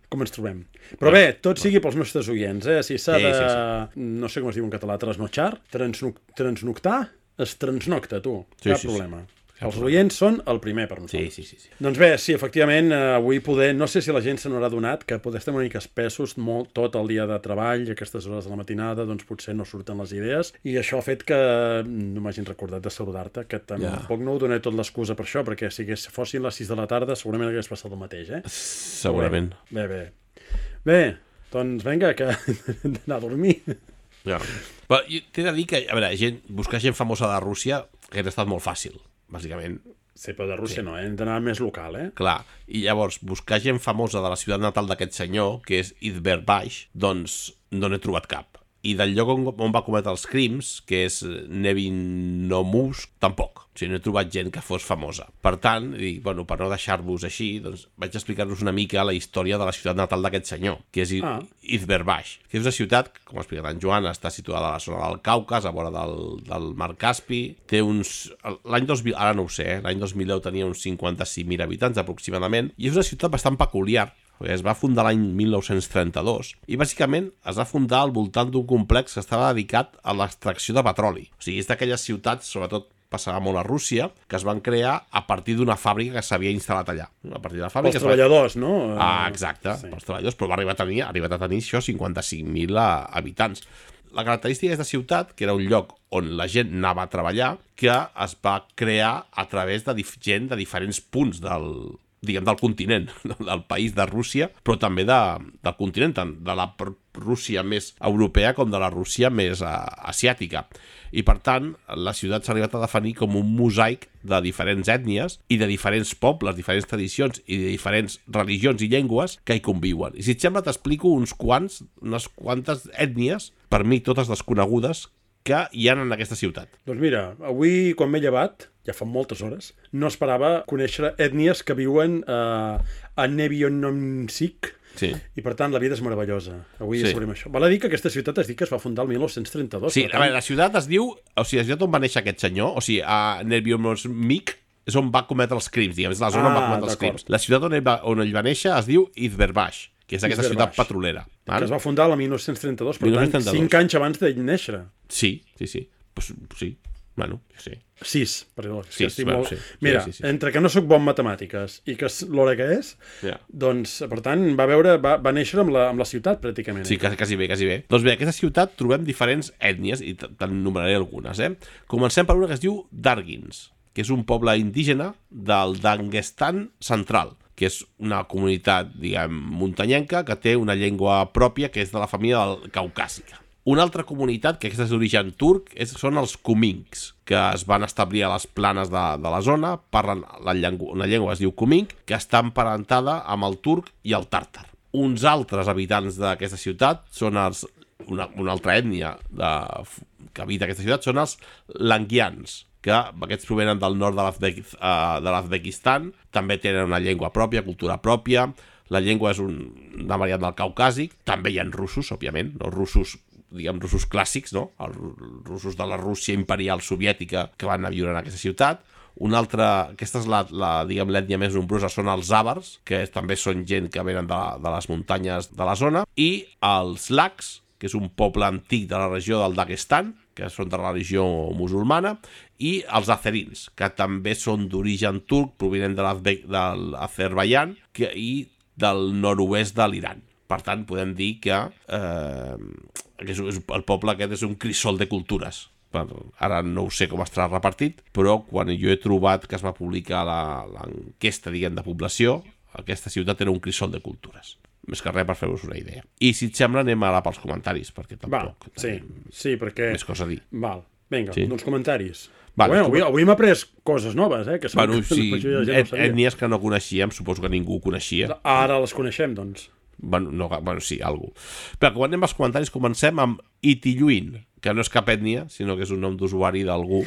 com ens trobem. Però bé, tot sigui pels nostres oients, Si s'ha de... Sí. No sé com es diu en català, trasnotxar, transnoctar, es transnocta, tu. Cap problema. Els oients són el primer per nosaltres. Sí. Doncs bé, sí, efectivament, avui no sé si la gent se n'haurà adonat que poder estar una mica espessos tot el dia de treball i aquestes hores de la matinada doncs potser no surten les idees i això ha fet que no m'hagin recordat de saludar-te, que tampoc no ho donaré tot l'excusa per això, perquè si fossin les 6 de la tarda segurament hagués passat el mateix, Segurament. Bé, doncs vinga, que hem d'anar a dormir. Ja. Però t'he de dir que, a veure, buscar gent famosa de Rússia hauria estat molt fàcil, bàsicament. Sí, però de Rússia no, hem d'anar més local, Clar, i llavors buscar gent famosa de la ciutat natal d'aquest senyor, que és Izberbaix, doncs no n'he trobat cap. I del lloc on va cometre els crims, que és Nevinomousk, tampoc. O sigui, no he trobat gent que fos famosa. Per tant, per no deixar-vos així, doncs vaig explicar-vos una mica la història de la ciutat natal d'aquest senyor, que és Izberbaix, que és una ciutat, com ha explicat en Joan, està situada a la zona del Caucas, a vora del Mar Caspi. Té l'any 2000, ara no ho sé, l'any 2010 tenia uns 56.000 habitants aproximadament, i és una ciutat bastant peculiar, perquè es va fundar l'any 1932 i bàsicament es va fundar al voltant d'un complex que estava dedicat a l'extracció de petroli. O sigui, és d'aquelles ciutats, sobretot passava molt a Rússia, que es van crear a partir d'una fàbrica que s'havia instal·lat allà. A partir de la fàbrica... Pels treballadors, no? Exacte, sí. Pels treballadors, però va arribar a tenir això 55.000 habitants. La característica d'aquesta ciutat, que era un lloc on la gent anava a treballar, que es va crear a través de gent de diferents punts del continent, del país de Rússia, però també del continent, tant de la Rússia més europea com de la Rússia més asiàtica. I, per tant, la ciutat s'ha arribat a definir com un mosaic de diferents ètnies i de diferents pobles, diferents tradicions i de diferents religions i llengües que hi conviuen. I si et sembla, t'explico unes quantes ètnies, per mi totes desconegudes, que hi ha en aquesta ciutat. Doncs mira, avui, quan m'he llevat, ja fa moltes hores, no esperava conèixer ètnies que viuen a Nevionomsik, sí. I per tant la vida és meravellosa. Avui sabrem això. Val a dir que aquesta ciutat es diu que es va fundar el 1932. Sí, a veure, la ciutat es diu... O sigui, la ciutat on va néixer aquest senyor, o sigui, a Nevionomsik, és on va cometre els crims, diguem, és la zona on va cometre els crims. La ciutat on ell va néixer es diu Izberbash, que és aquesta ciutat petrolera. Que es va fundar el 1932, per tant, 5 anys abans de néixer. Sí. Pues, sí. Bueno, sí. 6, perdó. Sí, molt... Mira, entre que no sóc bon en matemàtiques i que és l'hora que és, doncs, per tant, va néixer amb la ciutat, pràcticament. Sí, quasi bé. Doncs bé, en aquesta ciutat trobem diferents ètnies, i te'n numeraré algunes, Comencem per una que es diu Dargins, que és un poble indígena del Daguestan central, que és una comunitat, diguem, muntanyenca, que té una llengua pròpia, que és de la família caucàsica. Una altra comunitat, que és d'origen turc, són els Kuminks, que es van establir a les planes de la zona, parlen una llengua que es diu Kumink, que està emparentada amb el turc i el tàrtar. Uns altres habitants d'aquesta ciutat són una altra ètnia que habita aquesta ciutat, són els Langians, que aquests provenen del nord de l'Azbekistan, també tenen una llengua pròpia, cultura pròpia, la llengua és una variant del caucàsic, també hi ha russos, òbviament, no russos clàssics, no? Els russos de la Rússia imperial soviètica que van anar a viure en aquesta ciutat. Una altra, aquesta és l'ètnia més nombrosa, són els àvars, que també són gent que venen de les muntanyes de la zona, i els laks, que és un poble antic de la regió del Daguestan, que són de la religió musulmana, i els azerins, que també són d'origen turc, provinent de l'Azerbaidjan i del nord-oest de l'Iran. Per tant, podem dir que el poble aquest és un crisol de cultures. Ara no ho sé com estarà repartit, però quan jo he trobat que es va publicar l'enquesta, diguem, de població, aquesta ciutat era un crisol de cultures. Més que res per fer-vos una idea. I si et sembla anem ara pels comentaris, perquè tampoc... Sí, perquè... Més cosa a dir. Val, vinga, doncs comentaris. Vale, avui m'ha après coses noves, que són... Bueno, sí, ètnies que no coneixíem, suposo que ningú coneixia. Ara les coneixem, doncs. Bueno, sí, algú. Però quan anem als comentaris comencem amb Itilluin, que no és cap ètnia, sinó que és un nom d'usuari d'algú,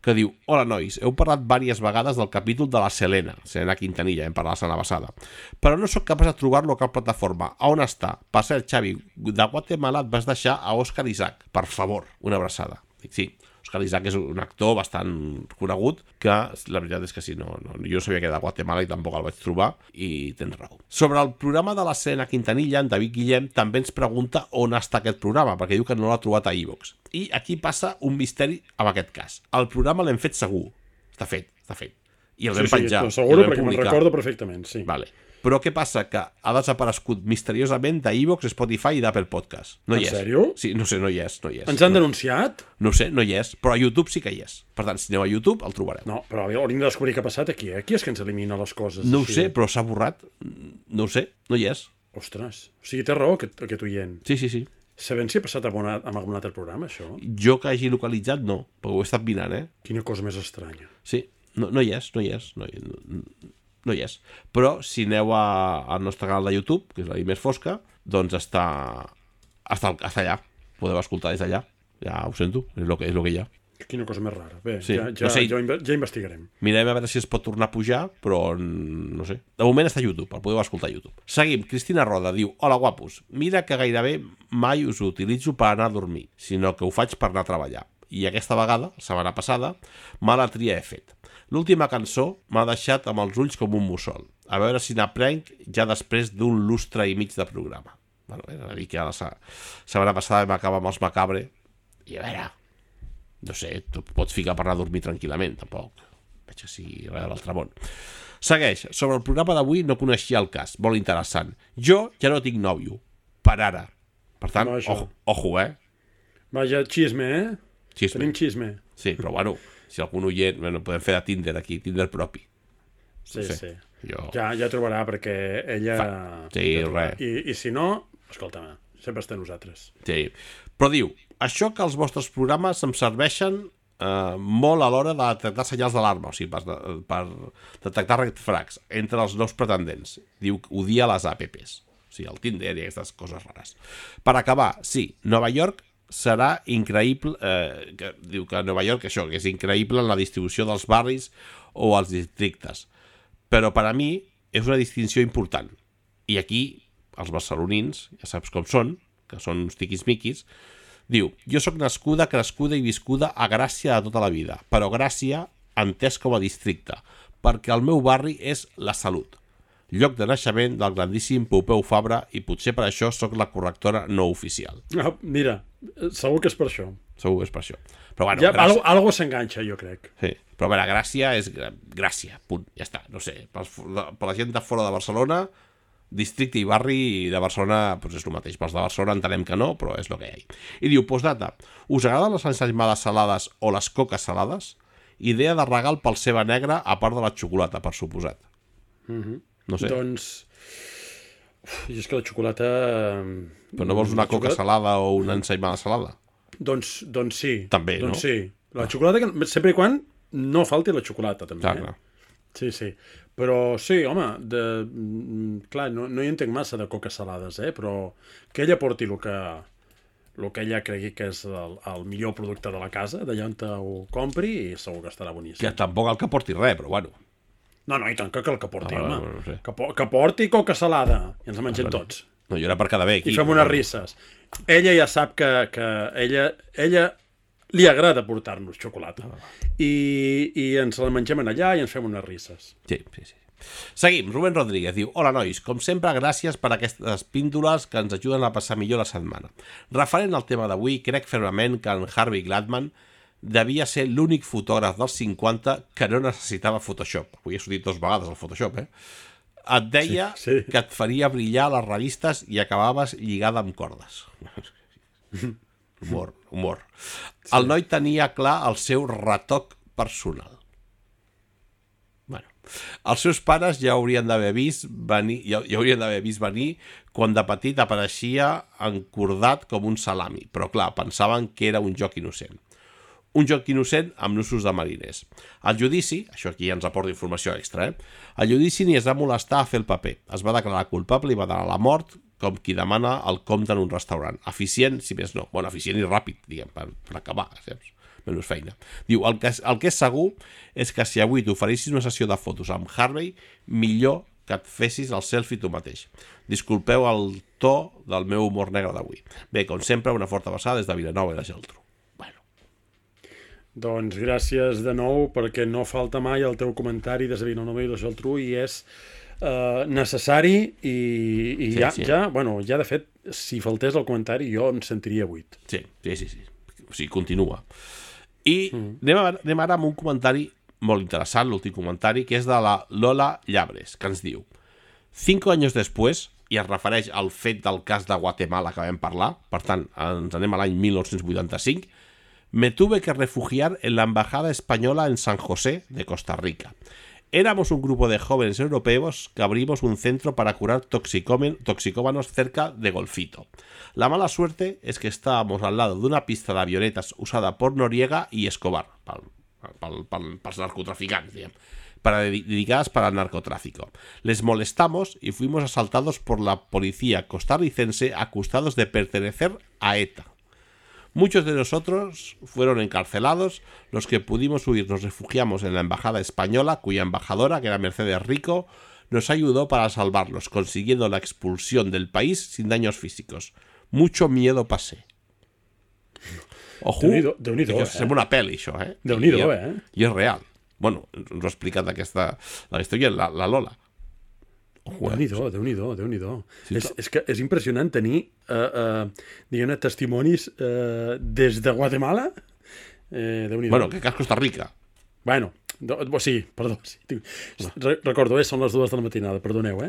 que diu: hola, nois, heu parlat diverses vegades del capítol de la Selena Quintanilla, hem parlat la setmana passada, però no sóc capaç de trobar-lo a cap plataforma. A on està? Per cert, Xavi, de Guatemala et vas deixar a Òscar Isaac. Per favor, una abraçada. Dic, sí, Òscar Isaac és un actor bastant conegut, que la veritat és que sí, jo no sabia que era de Guatemala i tampoc el vaig trobar, i tens raó. Sobre el programa de la Selena Quintanilla, en David Guillem també ens pregunta on està aquest programa, perquè diu que no l'ha trobat a iVox. I aquí passa un misteri amb aquest cas. El programa l'hem fet segur. Està fet. I el vam penjar. Sí, segur, perquè me'n recordo perfectament, sí. Vale. Però què passa? Que ha desaparegut misteriosament d'iVox, Spotify i d'Apple Podcast. No hi és. En sèrio? Sí, no sé, no hi és. Ens han denunciat? No sé, no hi és, però a YouTube sí que hi és. Per tant, si aneu a YouTube, el trobareu. No, però hauríem de descobrir què ha passat aquí, Qui és que ens elimina les coses? No ho sé, però s'ha borrat. No ho sé, no hi és. Ostres, o sigui, té raó aquest oient. Sí. Sabem si ha passat amb algun altre programa, això? Jo que hagi localitzat, no, perquè ho he estat mirant, Quina cosa més estranya. Sí, no hi és. No hi és. Però si aneu al nostre canal de YouTube, que és la més fosca, doncs està allà. Podeu escoltar des d'allà. Ja ho sento, és el que hi ha. Quina cosa més rara. Bé, sí. ja investigarem. Mirem a veure si es pot tornar a pujar, però no sé. De moment està a YouTube, el podeu escoltar a YouTube. Seguim. Cristina Roda diu: hola, guapos. Mira que gairebé mai us ho utilitzo per anar a dormir, sinó que ho faig per anar a treballar. I aquesta vegada, la setmana passada, mala tria he fet. L'última cançó m'ha deixat amb els ulls com un mussol. a veure si n'aprenc ja després d'un lustre i mig de programa. Bueno, és a dir que la setmana passada vam acabar amb els Macabre i a veure, no sé, tu pots ficar per anar a dormir tranquil·lament, tampoc veig que sigui res de l'altre món. Segueix, sobre el programa d'avui no coneixia el cas, molt interessant. Jo ja no tinc nòvio, per ara. Per tant, ojo, Vaja, xisme, Xisme. Tenim xisme. Sí, però bueno, si algun oient, bueno, podem fer de Tinder aquí, Tinder propi. Sí, No sé, sí. jo- Ja trobarà, perquè ella... Sí, ja trobarà. res. I si no, escolta'm, sempre està nosaltres. Sí. Però diu, això que els vostres programes em serveixen molt a l'hora de detectar senyals d'alarma, o sigui, per detectar red flags entre els nous pretendents. Diu que odia les apps, o sigui, el Tinder i aquestes coses rares. Per acabar, sí, Nova York serà increïble, diu que Nova York això, que és increïble en la distribució dels barris o els districtes, però per a mi és una distinció important. I aquí, els barcelonins, ja saps com són, que són uns tiquismiquis, diu, jo sóc nascuda, crescuda i viscuda a Gràcia de tota la vida, però Gràcia entès com a districte, perquè el meu barri és la Salut, lloc de naixement del grandíssim Pompeu Fabra, i potser per això sóc la correctora no oficial. Mira, segur que és per això. Segur que és per això. Però bueno, Ja, algo s'enganxa, jo crec. Sí, però a veure, Gràcia és Gràcia, punt, ja està, no sé, per la gent de fora de Barcelona, districte i barri de Barcelona doncs és el mateix, pels de Barcelona entenem que no, però és el que hi ha. I diu, postdata, us agraden les ensaïmades salades o les coques salades? Idea de regal pel ceba negra a part de la xocolata, per suposat. No sé, Doncs... I és que la xocolata... però no vols una coca salada o una ensaïmada salada? Doncs sí. També, no? Doncs sí. La xocolata, sempre i quan no falti la xocolata, també. Clar. Sí, sí. Però sí, home, clar, no hi entenc massa de coques salades, però que ella porti el que ella cregui que és el millor producte de la casa, d'allà on ho compri, i segur que estarà boníssim. Que tampoc el que porti res, però bueno. No, i tant que el que porti, home. no sé. Que porti coca salada, i ens la mengem tots. No, jo era per quedar bé aquí. I fem unes risses. Ella ja sap que ella li agrada portar-nos xocolata. I ens la mengem allà i ens fem unes risses. Sí. Seguim, Rubén Rodríguez diu, hola nois, com sempre gràcies per aquestes píndoles que ens ajuden a passar millor la setmana. Referent al tema d'avui, crec fermament que en Harvey Gladman devia ser l'únic fotògraf dels 50 que no necessitava Photoshop. Avui he sortit 2 vegades al Photoshop, Et deia Sí. que et faria brillar a les revistes i acabaves lligada amb cordes. Humor. Sí. El noi tenia clar el seu retoc personal. Bueno, els seus pares ja haurien d'haver vist venir quan de petit apareixia encordat com un salami, però clar, pensaven que era un joc innocent. Un joc innocent amb nusos de mariners. Al judici, això aquí ens aporta informació extra, al judici ni es va molestar a fer el paper. Es va declarar culpable i va donar la mort com qui demana el compte en un restaurant. Eficient, si més no. Bueno, eficient i ràpid, diguem, per acabar, saps? Menys feina. Diu, el que és segur és que si avui t'oferissis una sessió de fotos amb Harvey, millor que et fessis el selfie tu mateix. Disculpeu el to del meu humor negre d'avui. Bé, com sempre, una forta abraçada des de Vilanova i la Geltrú. Doncs gràcies de nou, perquè no falta mai el teu comentari des de Vilanova i la Geltrú i és necessari i Sí. ja de fet, si faltés el comentari jo em sentiria buit. Sí. O sigui, continua. I anem ara amb un comentari molt interessant, l'últim comentari, que és de la Lola Llabres, que ens diu 5 anys després, i es refereix al fet del cas de Guatemala que vam parlar, per tant, ens anem a l'any 1985, me tuve que refugiar en la embajada española en San José de Costa Rica. Éramos un grupo de jóvenes europeos que abrimos un centro para curar toxicómanos cerca de Golfito. La mala suerte es que estábamos al lado de una pista de avionetas usada por Noriega y Escobar, pels narcotraficants, diguem, dedicadas para el narcotráfico. Les molestamos y fuimos asaltados por la policía costarricense acusados de pertenecer a ETA. Muchos de nosotros fueron encarcelados, los que pudimos huir nos refugiamos en la embajada española, cuya embajadora, que era Mercedes Rico, nos ayudó para salvarlos, consiguiendo la expulsión del país sin daños físicos. Mucho miedo pasé. Ojo, Déu-n'hi-do, sembla una pel·li, això, Déu-n'hi-do, I és real. Bueno, ens ho ha explicat la història, la Lola. Déu-n'hi-do. És que és impressionant tenir, diguem-ne, testimonis des de Guatemala. Déu-n'hi-do. Bueno, que cas Costa Rica. Bueno, sí, perdó. Sí. Recordo, són les 2 de la matinada, perdoneu,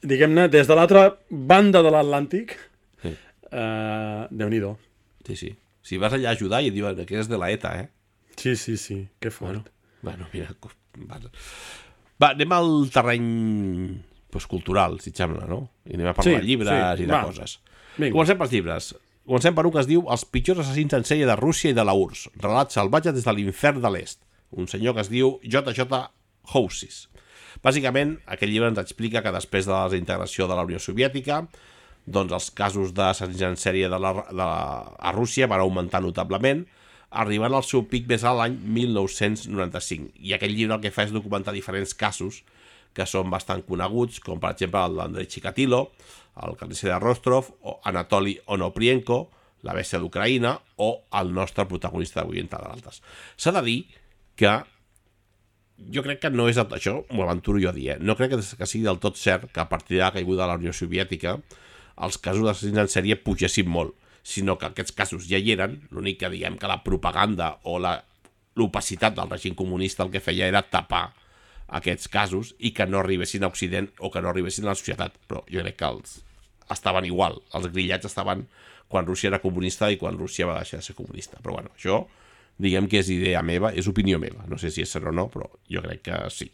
Diguem-ne, des de l'altra banda de l'Atlàntic, Déu-n'hi-do. Sí. Si vas allà a ajudar i et diuen que és de la ETA, Sí, que fort. Bueno, mira... Va, anem al terreny cultural, si et sembla, no? I anem a parlar de llibres i de coses. Vinga. Comencem pels llibres. Comencem per un que es diu Els pitjors assassins en sèrie de Rússia i de la URSS. Relat salvatge des de l'infern de l'est. Un senyor que es diu J.J. Housis. Bàsicament, aquest llibre ens explica que després de la desintegració de la Unió Soviètica, doncs els casos d'assassins en sèrie a Rússia van augmentar notablement, arribant al seu pic més alt l'any 1995. I aquest llibre el que fa és documentar diferents casos que són bastant coneguts, com per exemple el d'Andrei Chikatilo, el carnisser de Rostov, o Anatoly Onoprienko, la bèstia d'Ucraïna, o el nostre protagonista d'avui, entre d'altres. S'ha de dir que jo crec que no és això, m'ho aventuro jo a dir, no crec que sigui del tot cert que a partir de la caiguda de la Unió Soviètica els casos d'assassins en sèrie pugessin molt, sinó que aquests casos ja hi eren, l'únic que diguem que la propaganda o l'opacitat del règim comunista el que feia era tapar aquests casos i que no arribessin a Occident o que no arribessin a la societat, però jo crec que estaven igual, els grillats estaven quan Rússia era comunista i quan Rússia va deixar de ser comunista, però bueno, això diguem que és idea meva, és opinió meva, no sé si és cert o no, però jo crec que sí.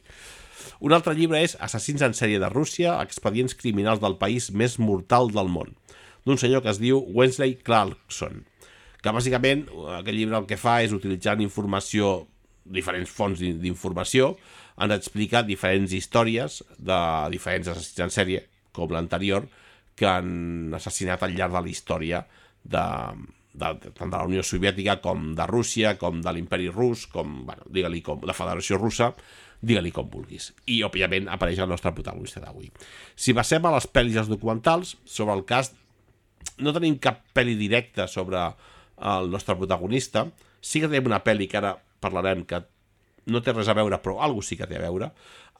Un altre llibre és Assassins en sèrie de Rússia, expedients criminals del país més mortal del món, d'un senyor que es diu Wesley Clarkson, que bàsicament aquest llibre el que fa és utilitzant informació, diferents fonts d'informació, ens explica diferents històries de diferents assassins en sèrie, com l'anterior, que han assassinat al llarg de la història tant de la Unió Soviètica com de Rússia, com de l'Imperi Rus, com, bueno, digue-li com la Federació Russa, digue-li com vulguis. I, òbviament, apareix el nostre protagonista d'avui. Si passem a les pel·lis i els documentals, sobre el cas, no tenim cap pel·li directa sobre el nostre protagonista. Sí que tenim una pel·li que ara parlarem que no té res a veure, però alguna sí que té a veure.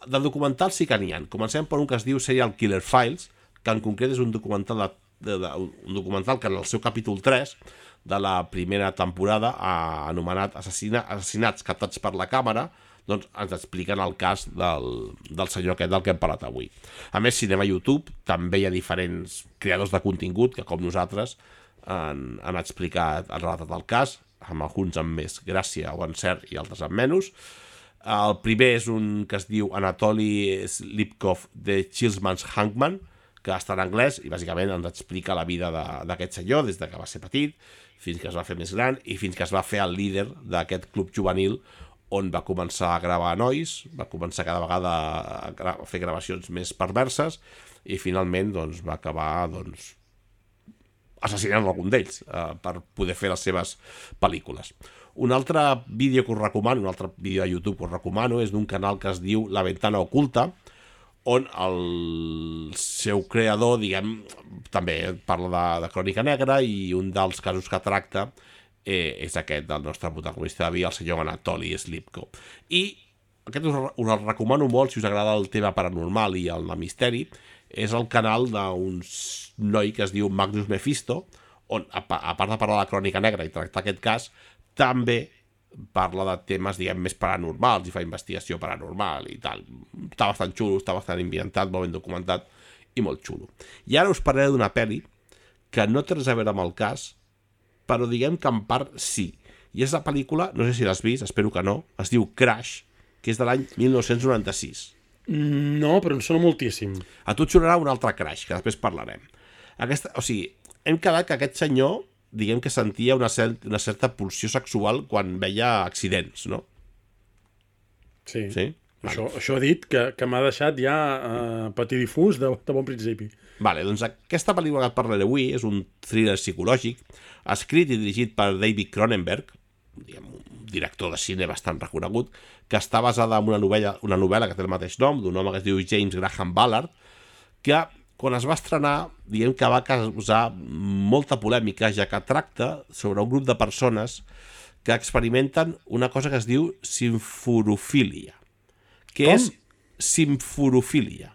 De documentals sí que n'hi ha. Comencem per un que es diu Serial Killer Files, que en concret és un documental un documental que en el seu capítol 3 de la primera temporada anomenat Assassinats captats per la càmera, doncs ens expliquen el cas del senyor aquest del que hem parlat avui. A més, si anem a YouTube, també hi ha diferents creadors de contingut que, com nosaltres, han explicat, han relatat el cas, amb alguns amb més gràcia o encert i altres amb menys. El primer és un que es diu Anatoly Slipkov de Chilsman's Hangman, que està en anglès i bàsicament ens explica la vida d'aquest senyor des que va ser petit fins que es va fer més gran i fins que es va fer el líder d'aquest club juvenil on va començar a gravar nois, va començar cada vegada a fer gravacions més perverses i finalment doncs, va acabar assassinant algun d'ells per poder fer les seves pel·lícules. Un altre vídeo que us recomano, un altre vídeo de YouTube que us recomano és d'un canal que es diu La Ventana Oculta, on el seu creador, diguem, també parla de crònica negra i un dels casos que tracta és aquest del nostre protagonista d'avui, el senyor Anatoly Slipkov. I aquest us el recomano molt si us agrada el tema paranormal i el misteri. És el canal d'un noi que es diu Magnus Mephisto, on, a part de parlar de crònica negra i tractar aquest cas, també parla de temes, diguem, més paranormals i fa investigació paranormal i tal. Està bastant xulo, està bastant ambientat, molt ben documentat i molt xulo. I ara us parlaré d'una pel·li que no té res a veure amb el cas, però diguem que en part sí. I és la pel·lícula, no sé si l'has vist, espero que no, es diu Crash, que és de l'any 1996. No, però em sona moltíssim. A tu et sonarà un altre Crash, que després parlarem. O sigui, hem quedat que aquest senyor diguem que sentia una certa pulsió sexual quan veia accidents, no? Sí. Això ha dit que m'ha deixat ja patidifús de bon principi. Vale, doncs aquesta pel·lícula que et parlaré avui és un thriller psicològic escrit i dirigit per David Cronenberg, diguem, un director de cine bastant reconegut, que està basada en una novel·la que té el mateix nom, d'un home que es diu James Graham Ballard, que quan es va estrenar, diguem que va causar molta polèmica, ja que tracta sobre un grup de persones que experimenten una cosa que es diu simforofília. Què és simforofília?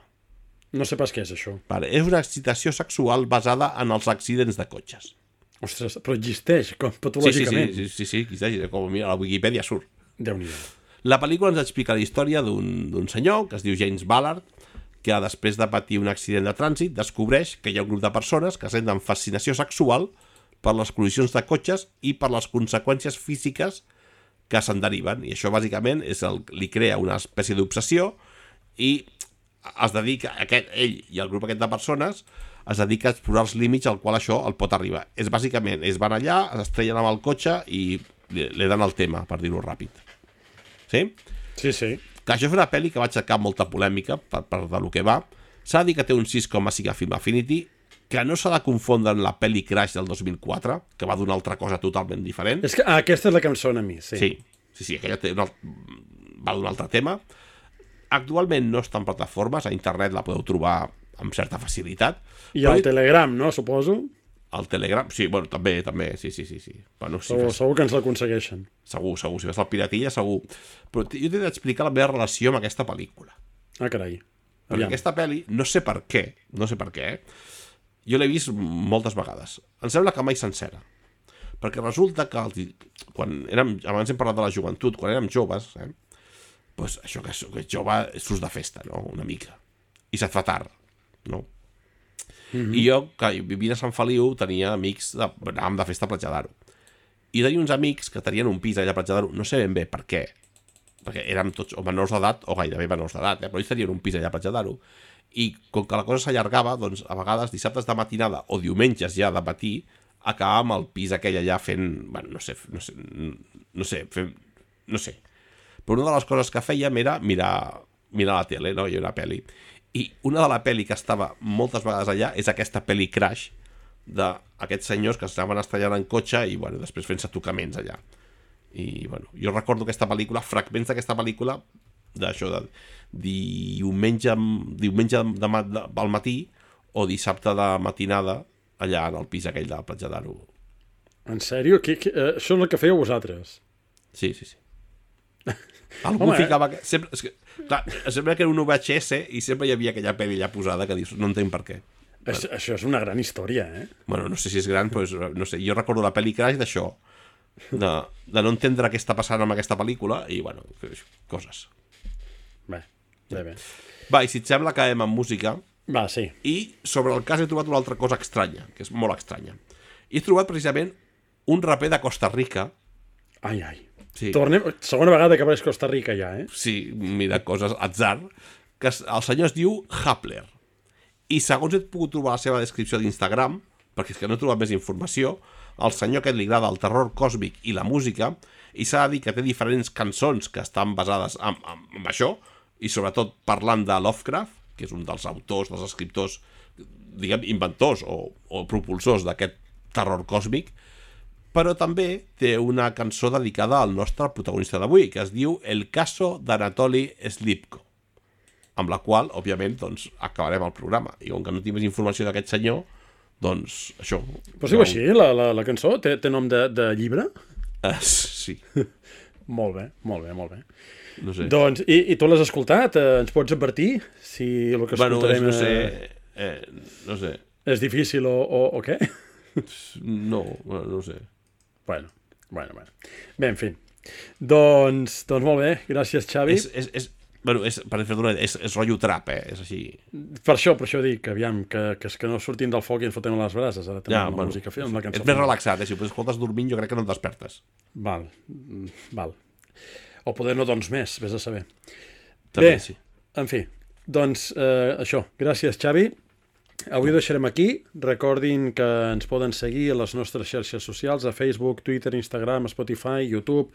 No sé pas què és això. Vale, és una excitació sexual basada en els accidents de cotxes. Ostres, però existeix, com patològicament. Sí, existeix, com mira, a la Wikipedia surt. Déu-n'hi-do. La pel·lícula ens explica la història d'un senyor que es diu James Ballard, que després de patir un accident de trànsit descobreix que hi ha un grup de persones que senten fascinació sexual per les col·lisions de cotxes i per les conseqüències físiques que se'n deriven, i això bàsicament li crea una espècie d'obsessió i es dedica, ell i el grup aquest de persones es dedica a explorar els límits al qual això el pot arribar. És bàsicament, ells van allà, s'estrellen amb el cotxe i li dan el tema, per dir-ho ràpid. Sí? Sí. Que això és una pel·li que va aixecar molta polèmica per de lo que va. S'ha de dir que té un 6,5 a Film Affinity, que no s'ha de confondre amb la pel·li Crash del 2004, que va d'una altra cosa totalment diferent. És que aquesta és la que em sona a mi, sí. Sí, aquella va d'un altre tema. Actualment no està en plataformes, a internet la podeu trobar amb certa facilitat. I al Telegram, no, suposo? Al Telegram, sí, bueno, també, sí. Bueno, sí, segur que ens l'aconsegueixen. Segur, si vas al Piratilla, segur. Però jo t'he d'explicar la meva relació amb aquesta pel·lícula. Ah, carai. Perquè aquesta pel·li, no sé per què, jo l'he vist moltes vegades. Em sembla que mai sencera. Perquè resulta que abans hem parlat de la joventut, quan érem joves, doncs això que ets jove surts de festa, no? Una mica. I se't fa tard, no? I jo, que vivint a Sant Feliu, tenia amics, anàvem de festa a Platja d'Aro. I tenia uns amics que tenien un pis allà a Platja d'Aro, no sé ben bé per què, perquè érem tots o menors d'edat o gairebé menors d'edat, però ells tenien un pis allà a Platja d'Aro. I com que la cosa s'allargava, doncs a vegades dissabtes de matinada o diumenges ja de matí acabàvem al pis aquell allà fent, bueno, no sé. Però una de les coses que fèiem era mirar la tele, no? Hi ha una pel·li. I una de la pel·li que estava moltes vegades allà és aquesta pel·li Crash d'aquests senyors que s'anaven estrellant en cotxe i, bueno, després fent-se tocaments allà. I, bueno, jo recordo aquesta pel·lícula, fragments d'aquesta pel·lícula, d'això de diumenge al matí o dissabte de matinada allà en el pis aquell de la Platja d'Aro. En sèrio? Això és el que fèieu vosaltres? Sí. Algú ficava... Sempre que era un VHS i sempre hi havia aquella pel·li allà posada que dius, no entenc per què. Això és una gran història, eh? Bueno, no sé si és gran, però no sé, jo recordo la pel·li Crash d'això, de no entendre què està passant amb aquesta pel·lícula i, bueno, coses. Bé. Va, i si et sembla, acabem amb música. Va, sí. I sobre el cas he trobat una altra cosa estranya, que és molt estranya. I he trobat precisament un raper de Costa Rica. Ai. Sí. Segona vegada que apareix Costa Rica ja, eh? Sí, mira, coses, atzar. Que el senyor es diu Hapler. I segons he pogut trobar la seva descripció d'Instagram, perquè és que no he trobat més informació, el senyor aquest li agrada el terror còsmic i la música, i s'ha de dir que té diferents cançons que estan basades en això, i sobretot parlant de Lovecraft, que és un dels autors, dels escriptors, diguem, inventors o propulsors d'aquest terror còsmic, però també té una cançó dedicada al nostre protagonista d'avui, que es diu El caso d'Anatoly Slipko, amb la qual, òbviament, doncs, acabarem el programa. I com que no tinc més informació d'aquest senyor, doncs, això... Però es diu així, la cançó? Té nom de llibre? Sí. Molt bé. No sé. Doncs, i tu l'has escoltat? Ens pots advertir si el que escoltarem... no sé. És difícil o què? No sé. Bueno. Bé, en fi. Doncs molt bé, gràcies, Xavi. Per fer-ho, és rotllo trap, és així. Per això dic, que aviam, que no sortim del foc i ens fotem a les brases, ara també amb la música amb la cançó. És més relaxat, si ho escoltes dormint jo crec que no et despertes. Val. O poder no doncs més, vés a saber. També, bé, sí. En fi, doncs això, gràcies, Xavi. Avui ho deixarem aquí. Recordin que ens poden seguir a les nostres xarxes socials, a Facebook, Twitter, Instagram, Spotify, YouTube,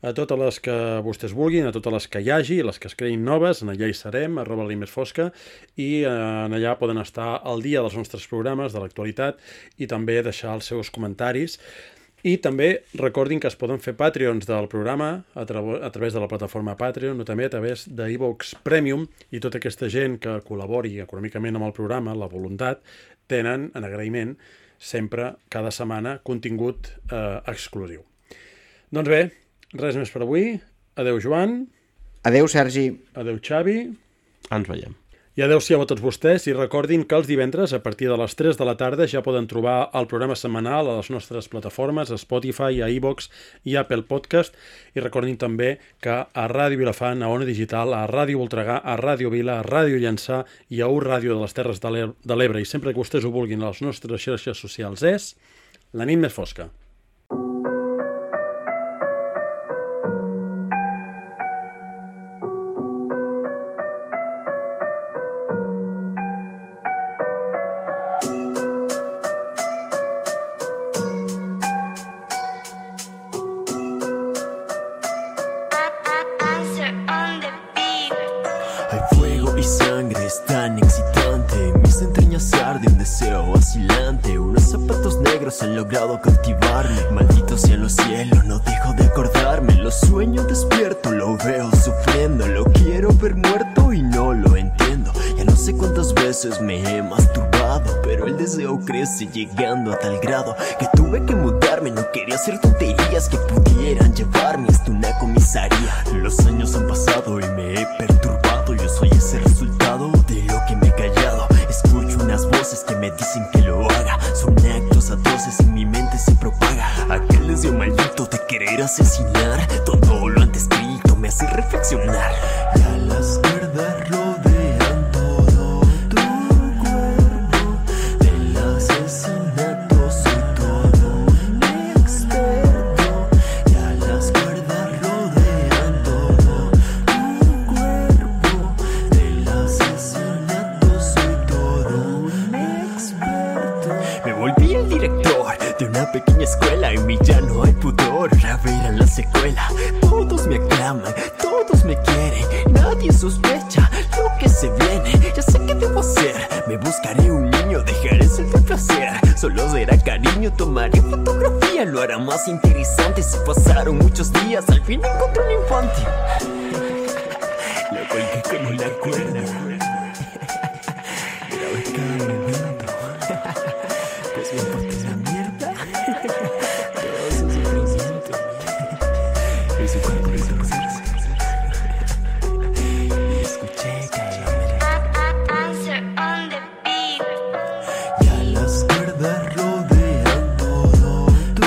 a totes les que vostès vulguin, a totes les que hi hagi, les que es creïn noves, en allà hi serem, @limesfosca, i en allà poden estar al dia dels nostres programes, de l'actualitat, i també deixar els seus comentaris. I també recordin que es poden fer Patreons del programa a través de la plataforma Patreon o també a través d'iVoox Premium, i tota aquesta gent que col·labori econòmicament amb el programa, la voluntat, tenen, en agraïment, sempre, cada setmana, contingut exclusiu. Doncs bé, res més per avui. Adeu, Joan. Adeu, Sergi. Adeu, Xavi. Ens veiem. I adeu-siau a tots vostès i recordin que els divendres a partir de les 3 de la tarda ja poden trobar el programa setmanal a les nostres plataformes, a Spotify, a iVoox i a Apple Podcast. I recordin també que a Ràdio Vilafant, a Ona Digital, a Ràdio Voltregà, a Ràdio Vila, a Ràdio Llançà i a Ràdio de les Terres de l'Ebre, i sempre que vostès ho vulguin a les nostres xarxes socials, és La nit més fosca. Han logrado cautivarme. Maldito sean los cielos, no dejo de acordarme. Lo sueño despierto, lo veo sufriendo. Lo quiero ver muerto y no lo entiendo. Ya no sé cuántas veces me he masturbado, pero el deseo crece llegando a tal grado que tuve que mudarme. No quería hacer tonterías que pudieran llevarme hasta una comisaría. Los años han pasado y me he perturbado. Yo soy ese resultado de lo que me he callado. Escucho unas voces que me dicen que lo haga. Son actos atroces, en mi mente se propaga aquel deseo maldito de querer asesinar. Todo lo antes escrito me hace reflexionar. Ya las cuerdas rodean todo tu cuerpo. Del asesinato soy todo un experto. Ya las cuerdas rodean todo tu cuerpo. Del asesinato soy todo un experto. Me volví el director de una pequeña escuela. En mí ya no hay pudor. A ver a la secuela. Todos me aclaman, todos me quieren. Nadie sospecha lo que se viene. Ya sé qué debo hacer. Me buscaré un niño, dejaré el placer. Solo será cariño, tomaré fotografía. Lo hará más interesante. Si pasaron muchos días, al fin encontré un infante. Lo colgué con una cuerda. Grabé cada momento. Pues me importa la mierda. Todo su sufrimiento. Y su cuerpo hizo coserse. Y escuché caer. Answer on the beat. Ya las cuerdas rodean todo tu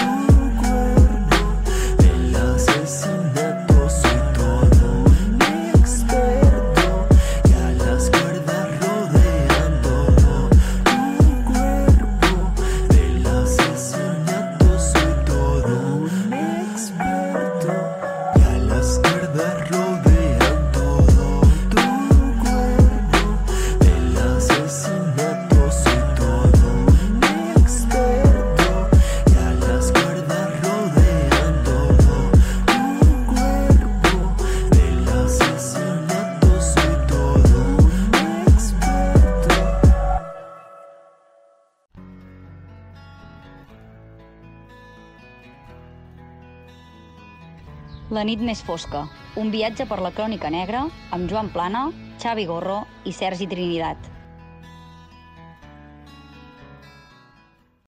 cuerpo. Del asesinato soy todo un experto. Ya las cuerdas rodean todo tu cuerpo. Del asesinato soy todo un experto. Ya las cuerdas rodean todo tu cuerpo. Del asesinato soy todo un experto. Ya las cuerdas rodean todo tu cuerpo. Del asesinato soy todo un experto. La nit més fosca, un viatge per la crònica negra amb Joan Plana, Xavi Gorro i Sergi Trinidad.